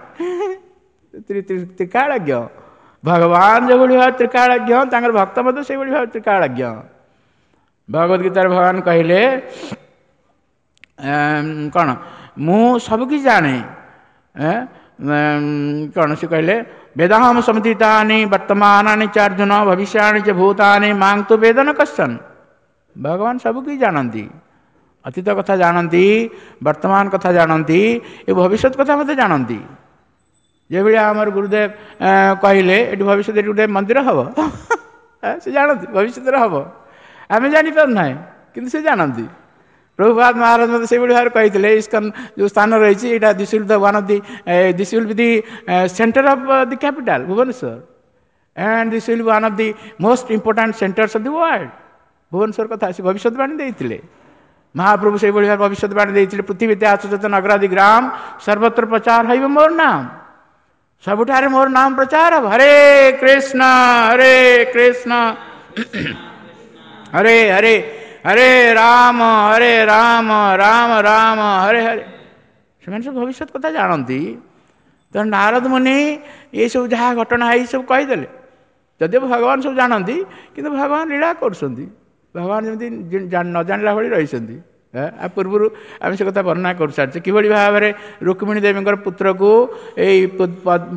S1: ତ୍ରିକାଳଜ୍ଞ। ଭଗବାନ ଯେଭଳି ଭାବେ ତ୍ରିକାଳଜ୍ଞ, ତାଙ୍କର ଭକ୍ତ ମଧ୍ୟ ସେଇଭଳି ଭାବେ ତ୍ରିକାଳଜ୍ଞ। ଭଗବତ ଗୀତାରେ ଭଗବାନ କହିଲେ କ'ଣ, ମୁଁ ସବୁକିଛି ଜାଣେ। କ'ଣ ସେ କହିଲେ? ବେଦାହମ ସମତୀତାନି ବର୍ତ୍ତମାନାନି ଚାର୍ଜୁନ ଭବିଷ୍ୟାଣି ଚ ଭୂତାନି ମାଂ ତୁ ବେଦନ କଶ୍ଚନ। ଭଗବାନ ସବୁକିଛି ଜାଣନ୍ତି, ଅତୀତ କଥା ଜାଣନ୍ତି, ବର୍ତ୍ତମାନ କଥା ଜାଣନ୍ତି, ଏ ଭବିଷ୍ୟତ କଥା ମଧ୍ୟ ଜାଣନ୍ତି। ଯେଭଳି ଆମର ଗୁରୁଦେବ କହିଲେ ଏଠି ଭବିଷ୍ୟତରେ ଏଠି ଗୋଟେ ମନ୍ଦିର ହେବ, ସେ ଜାଣନ୍ତି ଭବିଷ୍ୟତରେ ହେବ, ଆମେ ଜାଣିପାରୁନାହିଁ କିନ୍ତୁ ସେ ଜାଣନ୍ତି। ପ୍ରଭୁପାଦ ମହାରାଜ ମଧ୍ୟ ସେଇଭଳି ଭାବରେ କହିଥିଲେ, ଇସ୍କନ ଯେଉଁ ସ୍ଥାନ ରହିଛି ଏଇଟା this will the one of the this will be the center of the capital Bhubaneswar and this will be one of the most important centers of the world। Bhubaneswar କଥା ସେ ଭବିଷ୍ୟତବାଣୀ ଦେଇଥିଲେ। ମହାପ୍ରଭୁ ସେଇଭଳି ଭାବେ ଭବିଷ୍ୟତବାଣୀ ଦେଇଥିଲେ, ପୃଥିବୀ ଆଚ ନଗରାଦି ଗ୍ରାମ ସର୍ବତ୍ର ପ୍ରଚାର ହେବ ମୋର ନାମ, ସବୁଠାରେ ମୋର ନାମ ପ୍ରଚାର ହେବ। ହରେ କୃଷ୍ଣ ହରେ କୃଷ୍ଣ ହରେ ହରେ ହରେ ରାମ ହରେ ରାମ ରାମ ରାମ ହରେ ହରେ। ସେମାନେ ସବୁ ଭବିଷ୍ୟତ କଥା ଜାଣନ୍ତି। ତେଣୁ ନାରଦ ମୁନି ଏସବୁ ଯାହା ଘଟଣା ହେଇ ସବୁ କହିଦେଲେ। ଯଦିଓ ଭଗବାନ ସବୁ ଜାଣନ୍ତି, କିନ୍ତୁ ଭଗବାନ ଲୀଳା କରୁଛନ୍ତି, ଭଗବାନ ଯେମିତି ନ ଜାଣିଲା ଭଳି ରହିଛନ୍ତି। ଆ ପୂର୍ବରୁ ଆମେ ସେ କଥା ବର୍ଣ୍ଣନା କରିସାରିଛେ, କିଭଳି ଭାବରେ ରୁକ୍ମିଣୀ ଦେବୀଙ୍କର ପୁତ୍ରକୁ ଏଇ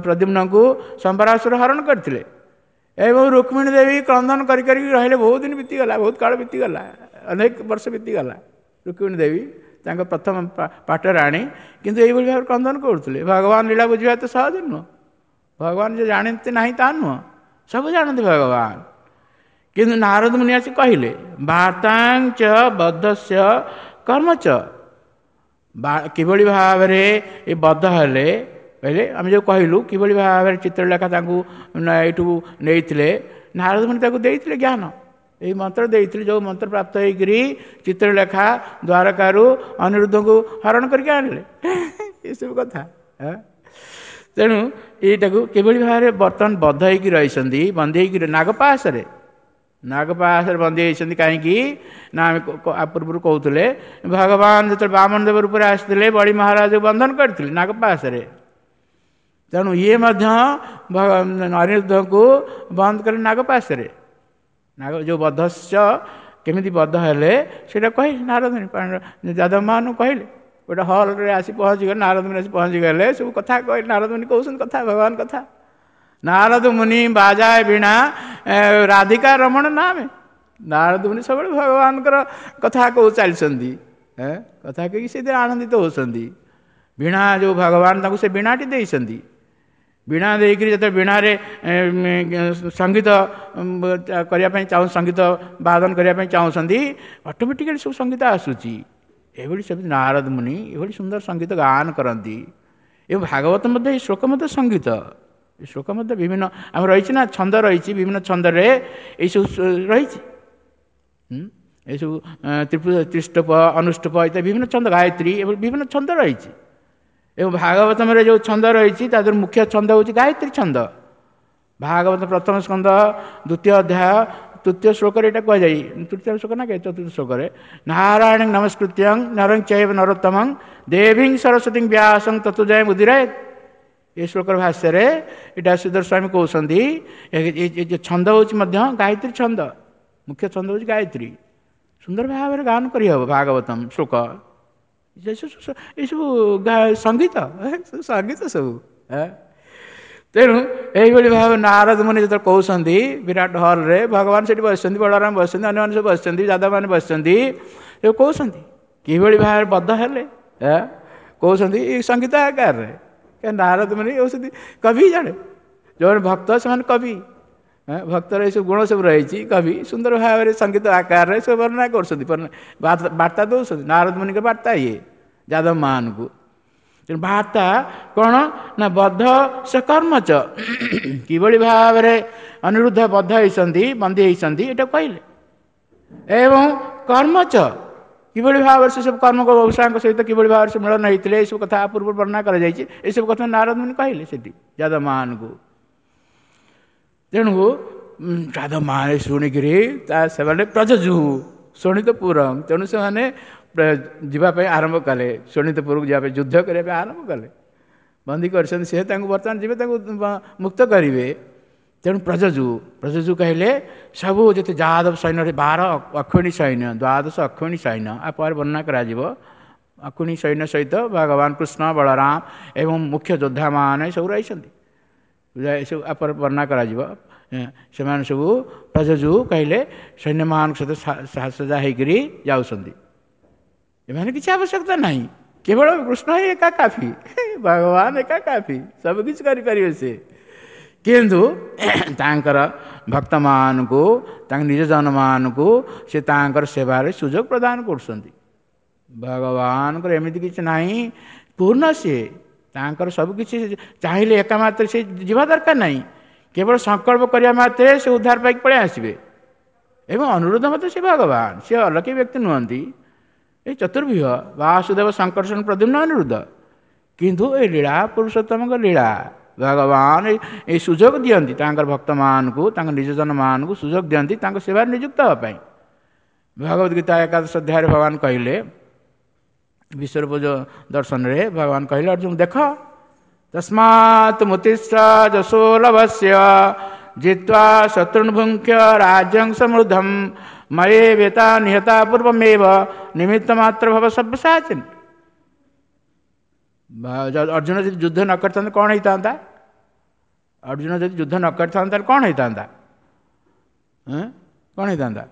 S1: ପ୍ରଦ୍ୟୁମ୍ନଙ୍କୁ ସମ୍ବରାସୁର ହରଣ କରିଥିଲେ ଏବଂ ରୁକ୍ମିଣୀ ଦେବୀ କ୍ରନ୍ଦନ କରି କରିକି ରହିଲେ। ବହୁତ ଦିନ ବିତିଗଲା, ବହୁତ କାଳ ବିତିଗଲା, ଅନେକ ବର୍ଷ ବିତିଗଲା। ରୁକ୍ମିଣୀ ଦେବୀ ତାଙ୍କ ପ୍ରଥମ ପାଟରାଣୀ, କିନ୍ତୁ ଏଇଭଳି ଭାବରେ କ୍ରନ୍ଦନ କରୁଥିଲେ। ଭଗବାନ ଲୀଳା ବୁଝିବା ଏତେ ସହଜ ନୁହଁ। ଭଗବାନ ଯେ ଜାଣନ୍ତି ନାହିଁ ତା ନୁହଁ, ସବୁ ଜାଣନ୍ତି ଭଗବାନ। କିନ୍ତୁ ନାରଦ ମୁନି ଆସି କହିଲେ ବାର୍ତ୍ତାଞ୍ଚ ବଦ୍ଧସ୍ୟ କର୍ମଚ, କିଭଳି ଭାବରେ ଏ ବଦ୍ଧ ହେଲେ କହିଲେ, ଆମେ ଯେଉଁ କହିଲୁ କିଭଳି ଭାବରେ ଚିତ୍ରଲେଖା ତାଙ୍କୁ ଏଇଠୁ ନେଇଥିଲେ, ନାରଦ ମୁନି ତାକୁ ଦେଇଥିଲେ ଜ୍ଞାନ, ଏଇ ମନ୍ତ୍ର ଦେଇଥିଲେ, ଯେଉଁ ମନ୍ତ୍ର ପ୍ରାପ୍ତ ହେଇକରି ଚିତ୍ରଲେଖା ଦ୍ୱାରକାରୁ ଅନିରୁଦ୍ଧଙ୍କୁ ହରଣ କରିକି ଆଣିଲେ, ଏସବୁ କଥା। ତେଣୁ ଏଇଟାକୁ କିଭଳି ଭାବରେ ବର୍ତ୍ତମାନ ବଦ୍ଧ ହେଇକି ରହିଛନ୍ତି, ବନ୍ଦୀ ହେଇକି ନାଗପାଶରେ, ନାଗପାଶରେ ବନ୍ଦୀ ହେଇଛନ୍ତି। କାହିଁକି ନା ଆମେ ପୂର୍ବରୁ କହୁଥିଲେ, ଭଗବାନ ଯେତେବେଳେ ବାମନ ଦେବ ରୂପରେ ଆସିଥିଲେ ବଳି ମହାରାଜକୁ ବନ୍ଧନ କରିଥିଲେ ନାଗପାଶରେ। ତେଣୁ ଇଏ ମଧ୍ୟ ଅନିରୁଦ୍ଧଙ୍କୁ ବନ୍ଦ କଲେ ନାଗପାଶରେ। ନାଗ ଯେଉଁ ବଧସ୍ୟ କେମିତି ବଧ ହେଲେ ସେଇଟା କହିଲେ ନାରଦ ଯାଦବମାନଙ୍କୁ କହିଲେ। ଗୋଟେ ହଲ୍ରେ ଆସି ପହଞ୍ଚିଗଲେ, ନାରଦ ମୁନି ଆସି ପହଞ୍ଚିଗଲେ, ସବୁ କଥା କହିଲେ। ନାରଦ ମୁନି କହୁଛନ୍ତି କଥା, ଭଗବାନ କଥା। ନାରଦ ମୁନି ବାଜାଏ ବୀଣା ରାଧିକା ରମଣ ନାମେ। ନାରଦ ମୁନି ସବୁବେଳେ ଭଗବାନଙ୍କର କଥା କହୁ ଚାଲିଛନ୍ତି, କଥା କହିକି ସେଥିରେ ଆନନ୍ଦିତ ହେଉଛନ୍ତି। ବୀଣା ଯେଉଁ ଭଗବାନ ତାଙ୍କୁ ସେ ବୀଣାଟି ଦେଇଛନ୍ତି। ବୀଣା ଦେଇକରି ଯେତେବେଳେ ବୀଣାରେ ସଙ୍ଗୀତ କରିବା ପାଇଁ ଚାହୁଁ, ସଙ୍ଗୀତ ବାଦନ କରିବା ପାଇଁ ଚାହୁଁଛନ୍ତି, ଅଟୋମେଟିକାଲି ସବୁ ସଙ୍ଗୀତ ଆସୁଛି। ଏଭଳି ସେମିତି ନାରଦ ମୁନି ଏଭଳି ସୁନ୍ଦର ସଙ୍ଗୀତ ଗାନ କରନ୍ତି। ଏବଂ ଭାଗବତ ମଧ୍ୟ ଏଇ ଶ୍ଲୋକ ମଧ୍ୟ ସଙ୍ଗୀତ, ଏ ଶ୍ଲୋକ ମଧ୍ୟ ବିଭିନ୍ନ ଆମର ରହିଛି ନା ଛନ୍ଦ ରହିଛି, ବିଭିନ୍ନ ଛନ୍ଦରେ ଏଇସବୁ ରହିଛି। ଏସବୁ ତ୍ରିଷ୍ଟପ, ଅନୁଷ୍ଟପ ଇତ୍ୟାଦି ବିଭିନ୍ନ ଛନ୍ଦ, ଗାୟତ୍ରୀ ଏଭଳି ବିଭିନ୍ନ ଛନ୍ଦ ରହିଛି। ଏବଂ ଭାଗବତମରେ ଯେଉଁ ଛନ୍ଦ ରହିଛି ତା ଦେହରୁ ମୁଖ୍ୟ ଛନ୍ଦ ହେଉଛି ଗାୟତ୍ରୀ ଛନ୍ଦ। ଭାଗବତ ପ୍ରଥମ ସ୍କନ୍ଦ ଦ୍ୱିତୀୟ ଅଧ୍ୟାୟ ତୃତୀୟ ଶ୍ଲୋକରେ ଏଇଟା କୁହାଯାଏ, ତୃତୀୟ ଶ୍ଲୋକ ନା ଚତୁର୍ଥ ଶ୍ଲୋକରେ, ନାରାୟଣ ନମସ୍କୃତ୍ୟଂ ନରଂ ଚୈବ ନରୋତ୍ତମଂ ଦେବୀଂ ସରସ୍ୱତୀଂ ବ୍ୟାସଂ ତତ୍ତ୍ୱ ଜୟ ମୁଦିରାୟ। ଏ ଶ୍ଲୋକର ଭାଷ୍ୟରେ ଏଇଟା ଶ୍ରୀଧର ସ୍ୱାମୀ କହୁଛନ୍ତି, ଏ ଛନ୍ଦ ହେଉଛି ମଧ୍ୟ ଗାୟତ୍ରୀ ଛନ୍ଦ, ମୁଖ୍ୟ ଛନ୍ଦ ହେଉଛି ଗାୟତ୍ରୀ। ସୁନ୍ଦର ଭାବରେ ଗାନ କରିହେବ ଭାଗବତମ ଶ୍ଲୋକ, ଏସବୁ ସଙ୍ଗୀତ, ସଙ୍ଗୀତ ସବୁ। ତେଣୁ ଏଇଭଳି ଭାବେ ନାରଦ ମୁନି ଯେତେବେଳେ କହୁଛନ୍ତି ବିରାଟ ହଲ୍ରେ, ଭଗବାନ ସେଠି ବସିଛନ୍ତି, ବଳରାମ ବସିଛନ୍ତି, ଅନ୍ୟମାନେ ସବୁ ବସିଛନ୍ତି, ଯାଦବମାନେ ବସିଛନ୍ତି, ଏ କହୁଛନ୍ତି କିଭଳି ଭାବରେ ବଦ୍ଧ ହେଲେ, କହୁଛନ୍ତି ଏଇ ସଙ୍ଗୀତ ଆକାରରେ। ନାରଦ ମୁନି ହେଉଛନ୍ତି କବି ଜଣେ, ଯେଉଁମାନେ ଭକ୍ତ ସେମାନେ କବି, ଭକ୍ତର ଏସବୁ ଗୁଣ ସବୁ ରହିଛି। କବି ସୁନ୍ଦର ଭାବରେ ସଙ୍ଗୀତ ଆକାରରେ ସବୁ ବର୍ଣ୍ଣନା କରୁଛନ୍ତି, ବାର୍ତ୍ତା ଦେଉଛନ୍ତି। ନାରଦ ମୁନିଙ୍କ ବାର୍ତ୍ତା ଇଏ ଯାଦବମାନଙ୍କୁ। ତେଣୁ ବାର୍ତ୍ତା କ'ଣ ନା ବଦ୍ଧ ସେ କର୍ମଚ, କିଭଳି ଭାବରେ ଅନିରୁଦ୍ଧ ବଦ୍ଧ ହେଇଛନ୍ତି, ବନ୍ଦୀ ହେଇଛନ୍ତି, ଏଇଟା କହିଲେ। ଏବଂ କର୍ମଚ, କିଭଳି ଭାବରେ ସେ ସବୁ କର୍ମ ଉଷାଙ୍କ ସହିତ କିଭଳି ଭାବରେ ସେ ମିଳନ ହେଇଥିଲେ, ଏସବୁ କଥା ପୂର୍ବରୁ ବର୍ଣ୍ଣନା କରାଯାଇଛି। ଏସବୁ କଥା ନାରଦ ମୁନି କହିଲେ ସେଠି ଯାଦବମାନଙ୍କୁ। ତେଣୁ ଯାଦବମାନେ ଶୁଣିକିରି ତା ସେମାନେ ପ୍ରଯଜୁ ଶୋଣିତପୁରଂ, ତେଣୁ ସେମାନେ ଯିବା ପାଇଁ ଆରମ୍ଭ କଲେ, ଶୋଣିତପୁରକୁ ଯିବା ପାଇଁ, ଯୁଦ୍ଧ କରିବା ପାଇଁ ଆରମ୍ଭ କଲେ। ବନ୍ଦୀ କରିଛନ୍ତି ସେ, ତାଙ୍କୁ ବର୍ତ୍ତମାନ ଯିବେ, ତାଙ୍କୁ ମୁକ୍ତ କରିବେ। ତେଣୁ ପ୍ରଯଜୁ, ପ୍ରଯଜୁ କହିଲେ ସବୁ ଯେତେ ଯାଦବ ସୈନ୍ୟ, 12 ଅକ୍ଷିଣୀ ସୈନ୍ୟ, 12 ଅକ୍ଷିଣୀ ସୈନ୍ୟ, ଆ ପରେ ବର୍ଣ୍ଣନା କରାଯିବ। ଅକ୍ଷିଣୀ ସୈନ୍ୟ ସହିତ ଭଗବାନ କୃଷ୍ଣ, ବଳରାମ ଏବଂ ମୁଖ୍ୟ ଯୋଦ୍ଧାମାନେ ସବୁ ରହିଛନ୍ତି, ଏସବୁ ଆ ପରେ ବର୍ଣ୍ଣନା କରାଯିବ। ସେମାନେ ସବୁ ପ୍ରଯଜୁ କହିଲେ ସୈନ୍ୟମାନଙ୍କ ସହିତ ସାଜସଜା ହେଇକରି ଯାଉଛନ୍ତି। ଏମାନେ କିଛି ଆବଶ୍ୟକତା ନାହିଁ, କେବଳ କୃଷ୍ଣ ହିଁ ଏକା କାଫି, ଭଗବାନ ଏକା କାଫି, ସବୁ କିଛି କରିପାରିବେ ସେ। କିନ୍ତୁ ତାଙ୍କର ଭକ୍ତମାନଙ୍କୁ, ତାଙ୍କ ନିଜ ଜନମାନଙ୍କୁ ସେ ତାଙ୍କର ସେବାରେ ସୁଯୋଗ ପ୍ରଦାନ କରୁଛନ୍ତି। ଭଗବାନଙ୍କର ଏମିତି କିଛି ନାହିଁ, ପୂର୍ଣ୍ଣ ସିଏ, ତାଙ୍କର ସବୁକିଛି ଚାହିଁଲେ ଏକା ମାତ୍ରେ ସେ ଯିବା ଦରକାର ନାହିଁ, କେବଳ ସଂକଳ୍ପ କରିବା ମାତ୍ରେ ସେ ଉଦ୍ଧାର ପାଇକି ପଳେଇ ଆସିବେ। ଏବଂ ଅନୁରୋଧ ମଧ୍ୟ ସେ ଭଗବାନ, ସେ ଅଲୌକିକ ବ୍ୟକ୍ତି ନୁହନ୍ତି। ଏ ଚତୁର୍ବ୍ୟୁହ ବାସୁଦେବ ଶଙ୍କର୍ଷଣ ପ୍ରଦ୍ୟୁମ୍ନ ଅନିରୁଦ୍ଧ, କିନ୍ତୁ ଏ ଲୀଳା ପୁରୁଷୋତ୍ତମଙ୍କ ଲୀଳା, ଭଗବାନ ଏଇ ସୁଯୋଗ ଦିଅନ୍ତି ତାଙ୍କର ଭକ୍ତମାନଙ୍କୁ, ତାଙ୍କ ନିଜ ଜନମାନଙ୍କୁ ସୁଯୋଗ ଦିଅନ୍ତି ତାଙ୍କ ସେବାରେ ନିଯୁକ୍ତ ହେବା ପାଇଁ। ଭଗବତ ଗୀତା ଏକାଦଶ ଅଧ୍ୟାୟରେ ଭଗବାନ କହିଲେ, ବିଶ୍ୱରୂପ ଦର୍ଶନରେ ଭଗବାନ କହିଲେ ଅର୍ଜୁନ ଦେଖ, ତସ୍ମାତ୍ ମୁତିଷ୍ଠ ଯଶୋ ଲଭସ୍ୟ ଜିତ୍ୱା ଶତ୍ରୁନ୍ ଭୁଙ୍କ୍ଷ ରାଜ୍ୟଂ ସମୃଦ୍ଧಂ ମୟେ ବେତା ନିହତା ପୂର୍ବମେବ ନିମିତ୍ତ ମାତ୍ର ଭବ ସବ୍ୟସାଚିନ୍। ଅର୍ଜୁନ ଯଦି ଯୁଦ୍ଧ ନ କରିଥାନ୍ତେ କ'ଣ ହେଇଥାନ୍ତା? ଅର୍ଜୁନ ଯଦି ଯୁଦ୍ଧ ନ କରିଥାନ୍ତା ତାହେଲେ କ'ଣ ହେଇଥାନ୍ତା? କ'ଣ ହେଇଥାନ୍ତା?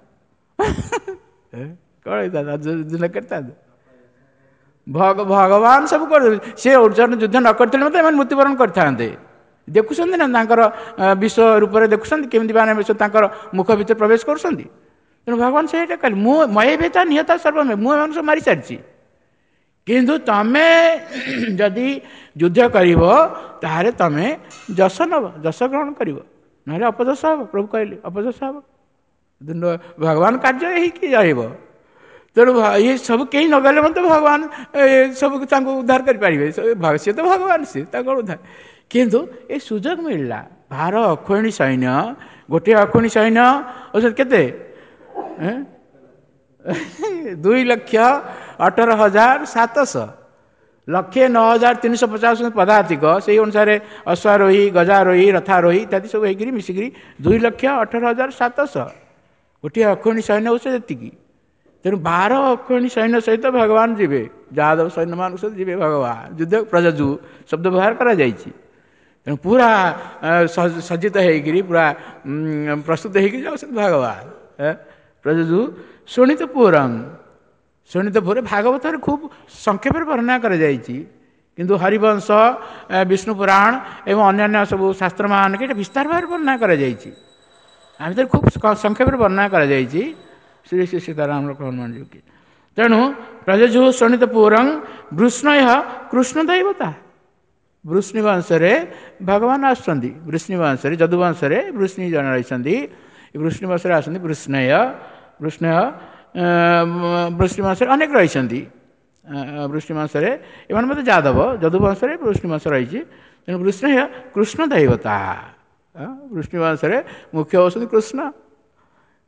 S1: କ'ଣ ହେଇଥାନ୍ତା ଅର୍ଜୁନ ଯୁଦ୍ଧ ନ କରିଥାନ୍ତେ? ଭଗବାନ ସବୁ କରିଦେଲେ। ସେ ଅର୍ଜୁନ ଯୁଦ୍ଧ ନ କରିଥିଲେ ମଧ୍ୟ ଏମାନେ ମୃତ୍ୟୁବରଣ କରିଥାନ୍ତେ। ଦେଖୁଛନ୍ତି ନା ତାଙ୍କର ବିଶ୍ୱ ରୂପରେ ଦେଖୁଛନ୍ତି କେମିତି ବାଣ ବିଷ ତାଙ୍କର ମୁଖ ଭିତରେ ପ୍ରବେଶ କରୁଛନ୍ତି। ତେଣୁ ଭଗବାନ ସେଇଟା କହିଲେ, ମୁଁ ମୟବେତା ନିହତା ସର୍ବମେ, ମୁଁ ଏମାନଙ୍କୁ ସବୁ ମାରିସାରିଛି, କିନ୍ତୁ ତମେ ଯଦି ଯୁଦ୍ଧ କରିବ ତାହେଲେ ତମେ ଯଶ ନେବ, ଯଶ ଗ୍ରହଣ କରିବ, ନହେଲେ ଅପଯଶ ହେବ। ପ୍ରଭୁ କହିଲେ ଅପଯଶ ହେବ, ଭଗବାନ କାର୍ଯ୍ୟ ହେଇକି ରହିବ। ତେଣୁ ଇଏ ସବୁ କେହି ନଗଲେ ମଧ୍ୟ ଭଗବାନ ସବୁ ତାଙ୍କୁ ଉଦ୍ଧାର କରିପାରିବେ, ସିଏ ତ ଭଗବାନ, ସିଏ ତାଙ୍କ ଉଦ୍ଧାର। କିନ୍ତୁ ଏ ସୁଯୋଗ ମିଳିଲା, 12 ଅକ୍ଷୋହିଣୀ ସୈନ୍ୟ, ଗୋଟିଏ ଅକ୍ଷୋହିଣୀ ସୈନ୍ୟ ହେଉଛନ୍ତି କେତେ? 2,18,700, 1,09,350 ପଦାତିକ। ସେଇ ଅନୁସାରେ ଅଶ୍ୱାରୋହୀ, ଗଜାରୋହୀ, ରଥାରୋହୀ ଇତ୍ୟାଦି ସବୁ ହେଇକିରି ମିଶିକିରି 2,18,700, ଗୋଟିଏ ଅକ୍ଷୋହିଣୀ ସୈନ୍ୟ ହେଉଛି ଯେତିକି। ତେଣୁ 12 ଅକ୍ଷୋହିଣୀ ସୈନ୍ୟ ସହିତ ଭଗବାନ ଯିବେ, ଯାଦବ ସୈନ୍ୟମାନଙ୍କ ସହିତ ଯିବେ ଭଗବାନ ଯୁଦ୍ଧ। ପ୍ରଯଜୁ ଶବ୍ଦ ବ୍ୟବହାର କରାଯାଇଛି। ତେଣୁ ପୁରା ସଜ୍ଜିତ ହେଇକିରି ପୁରା ପ୍ରସ୍ତୁତ ହେଇକିରି ଯାଉଛନ୍ତି ଭଗବାନ। ପ୍ରଯଜୁ ଶୋଣିତପୁରଂ, ଶୋଣିତପୁରରେ ଭାଗବତରେ ଖୁବ୍ ସଂକ୍ଷେପରେ ବର୍ଣ୍ଣନା କରାଯାଇଛି, କିନ୍ତୁ ହରିବଂଶ, ବିଷ୍ଣୁ ପୁରାଣ ଏବଂ ଅନ୍ୟାନ୍ୟ ସବୁ ଶାସ୍ତ୍ରମାନଙ୍କ ଏଇଟା ବିସ୍ତାର ଭାବରେ ବର୍ଣ୍ଣନା କରାଯାଇଛି। ଆମେ ତ ଖୁବ୍ ସଂକ୍ଷେପରେ ବର୍ଣ୍ଣନା କରାଯାଇଛି। ଶ୍ରୀ ଶ୍ରୀ ସୀତାରାମ ହନୁମାନ ଯୋଗୀ। ତେଣୁ ପ୍ରଯଜୁ ଶୋଣିତପୁରଂ ବୃଷ୍ଣୟ କୃଷ୍ଣ ଦୈବତା, ବୃଷ୍ଣି ବଂଶରେ ଭଗବାନ ଆସୁଛନ୍ତି। ବୃଷ୍ଣି ବଂଶରେ, ଯଦୁବଂଶରେ ବୃଷ୍ଣି ଜଣେ ରହିଛନ୍ତି, ବୃଷ୍ଣି ବଂଶରେ ଆସନ୍ତି ବୃଷ୍ଣୟ, ବୃଷ୍ଣୟ ବୃଷ୍ଣି ବଂଶରେ ଅନେକ ରହିଛନ୍ତି। ବୃଷ୍ଣି ବଂଶରେ ଏମାନେ ମଧ୍ୟ ଯାଦବ, ଯଦୁବଂଶରେ ବୃଷ୍ଣି ବଂଶ ରହିଛି। ତେଣୁ ବୃଷ୍ଣୟ କୃଷ୍ଣ ଦୈବତା, ବୃଷ୍ଣି ବଂଶରେ ମୁଖ୍ୟ ହେଉଛନ୍ତି କୃଷ୍ଣ,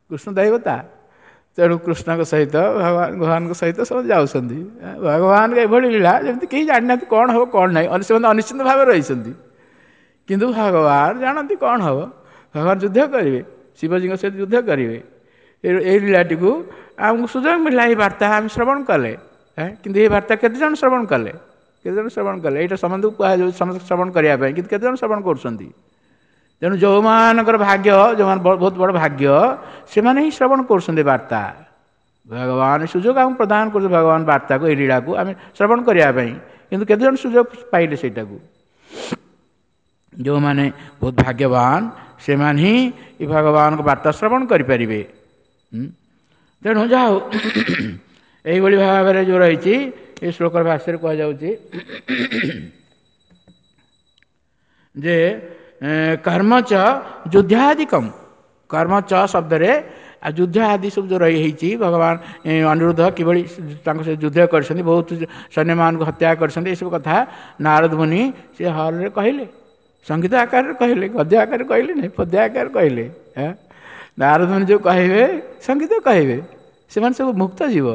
S1: କୃଷ୍ଣ ଦୈବତା। ତେଣୁ କୃଷ୍ଣଙ୍କ ସହିତ ଭଗବାନ, ଭଗବାନଙ୍କ ସହିତ ସବୁ ଯାଉଛନ୍ତି। ଭଗବାନଙ୍କ ଏଭଳି ଲୀଳା ଯେମିତି କେହି ଜାଣିନାହାନ୍ତି କ'ଣ ହେବ କ'ଣ ନାହିଁ, ସେମାନେ ଅନିଶ୍ଚିତ ଭାବରେ ରହିଛନ୍ତି, କିନ୍ତୁ ଭଗବାନ ଜାଣନ୍ତି କ'ଣ ହେବ। ଭଗବାନ ଯୁଦ୍ଧ କରିବେ, ଶିବଜୀଙ୍କ ସହିତ ଯୁଦ୍ଧ କରିବେ। ଏଇ ଲୀଳାଟିକୁ ଆମକୁ ସୁଯୋଗ ମିଳିଲା, ଏଇ ବାର୍ତ୍ତା ଆମେ ଶ୍ରବଣ କଲେ। କିନ୍ତୁ ଏଇ ବାର୍ତ୍ତା କେତେଜଣ ଶ୍ରବଣ କଲେ? କେତେଜଣ ଶ୍ରବଣ କଲେ? ଏଇଟା ସମସ୍ତଙ୍କୁ କୁହାଯାଉଛି ସମସ୍ତେ ଶ୍ରବଣ କରିବା ପାଇଁ, କିନ୍ତୁ କେତେଜଣ ଶ୍ରବଣ କରୁଛନ୍ତି? ତେଣୁ ଯେଉଁମାନଙ୍କର ଭାଗ୍ୟ, ଯେଉଁମାନେ ବହୁତ ବଡ଼ ଭାଗ୍ୟ, ସେମାନେ ହିଁ ଶ୍ରବଣ କରୁଛନ୍ତି ବାର୍ତ୍ତା। ଭଗବାନ ସୁଯୋଗ ଆମକୁ ପ୍ରଦାନ କରୁଛନ୍ତି, ଭଗବାନ ବାର୍ତ୍ତାକୁ, ଏଇ ଲୀଳାକୁ ଆମେ ଶ୍ରବଣ କରିବା ପାଇଁ, କିନ୍ତୁ କେତେଜଣ ସୁଯୋଗ ପାଇଲେ ସେଇଟାକୁ? ଯେଉଁମାନେ ବହୁତ ଭାଗ୍ୟବାନ ସେମାନେ ହିଁ ଏ ଭଗବାନଙ୍କ ବାର୍ତ୍ତା ଶ୍ରବଣ କରିପାରିବେ। ତେଣୁ ଯାହା ହଉ, ଏଇଭଳି ଭାବରେ ଯେଉଁ ରହିଛି ଏ ଶ୍ଲୋକର ଭାଷ୍ୟରେ କୁହାଯାଉଛି ଯେ କର୍ମ ଚ ଯୁଦ୍ଧାଦିକମ୍, କର୍ମ ଚ ଶବ୍ଦରେ ଆଉ ଯୁଦ୍ଧ ଆଦି ସବୁ ଯେଉଁ ରହି ହେଇଛି, ଭଗବାନ ଅନିରୁଦ୍ଧ କିଭଳି ତାଙ୍କ ସହିତ ଯୁଦ୍ଧ କରିଛନ୍ତି, ବହୁତ ସୈନ୍ୟମାନଙ୍କୁ ହତ୍ୟା କରିଛନ୍ତି, ଏସବୁ କଥା ନାରଦ ମୁନି ସେ ହଲରେ କହିଲେ, ସଙ୍ଗୀତ ଆକାରରେ କହିଲେ, ଗଦ୍ୟ ଆକାରରେ କହିଲେ ନାହିଁ, ପଦ୍ୟ ଆକାରରେ କହିଲେ। ନାରଦ ମୁନି ଯେଉଁ କହିବେ ସଙ୍ଗୀତ କହିବେ, ସେମାନେ ସବୁ ମୁକ୍ତ ଜୀବ।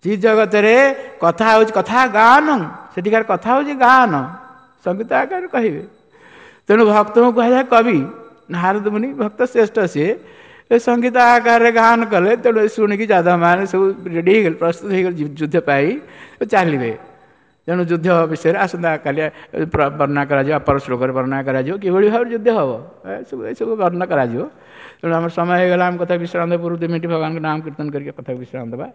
S1: ଚିତ୍ ଜଗତରେ କଥା ହେଉଛି କଥା ଗାନ, ସେଠିକାର କଥା ହେଉଛି ଗାନ, ସଙ୍ଗୀତ ଆକାରରେ କହିବେ। ତେଣୁ ଭକ୍ତଙ୍କୁ କୁହାଯାଏ କବି, ନାରଦ ମୁନି ଭକ୍ତ ଶ୍ରେଷ୍ଠ, ସିଏ ଏ ସଙ୍ଗୀତ ଆକାରରେ ଗାନ କଲେ। ତେଣୁ ଶୁଣିକି ଯାଦବମାନେ ସବୁ ରେଡ଼ି ହେଇଗଲେ, ପ୍ରସ୍ତୁତ ହେଇଗଲେ ଯୁଦ୍ଧ ପାଇଁ ଚାଲିବେ। ତେଣୁ ଯୁଦ୍ଧ ବିଷୟରେ ଆସନ୍ତାକାଲି ବର୍ଣ୍ଣନା କରାଯିବ, ଅପର ଶ୍ଲୋକରେ ବର୍ଣ୍ଣନା କରାଯିବ କିଭଳି ଭାବରେ ଯୁଦ୍ଧ ହେବ, ଏସବୁ ବର୍ଣ୍ଣନା କରାଯିବ। ତେଣୁ ଆମର ସମୟ ହେଇଗଲା, ଆମ କଥା ବିଶ୍ରାମ ଦେବା ପୂର୍ବରୁ 2 ମିନିଟ୍ ଭଗବାନଙ୍କ ନାମ କୀର୍ତ୍ତନ କରିକି କଥା ବିଶ୍ରାମ ଦେବା।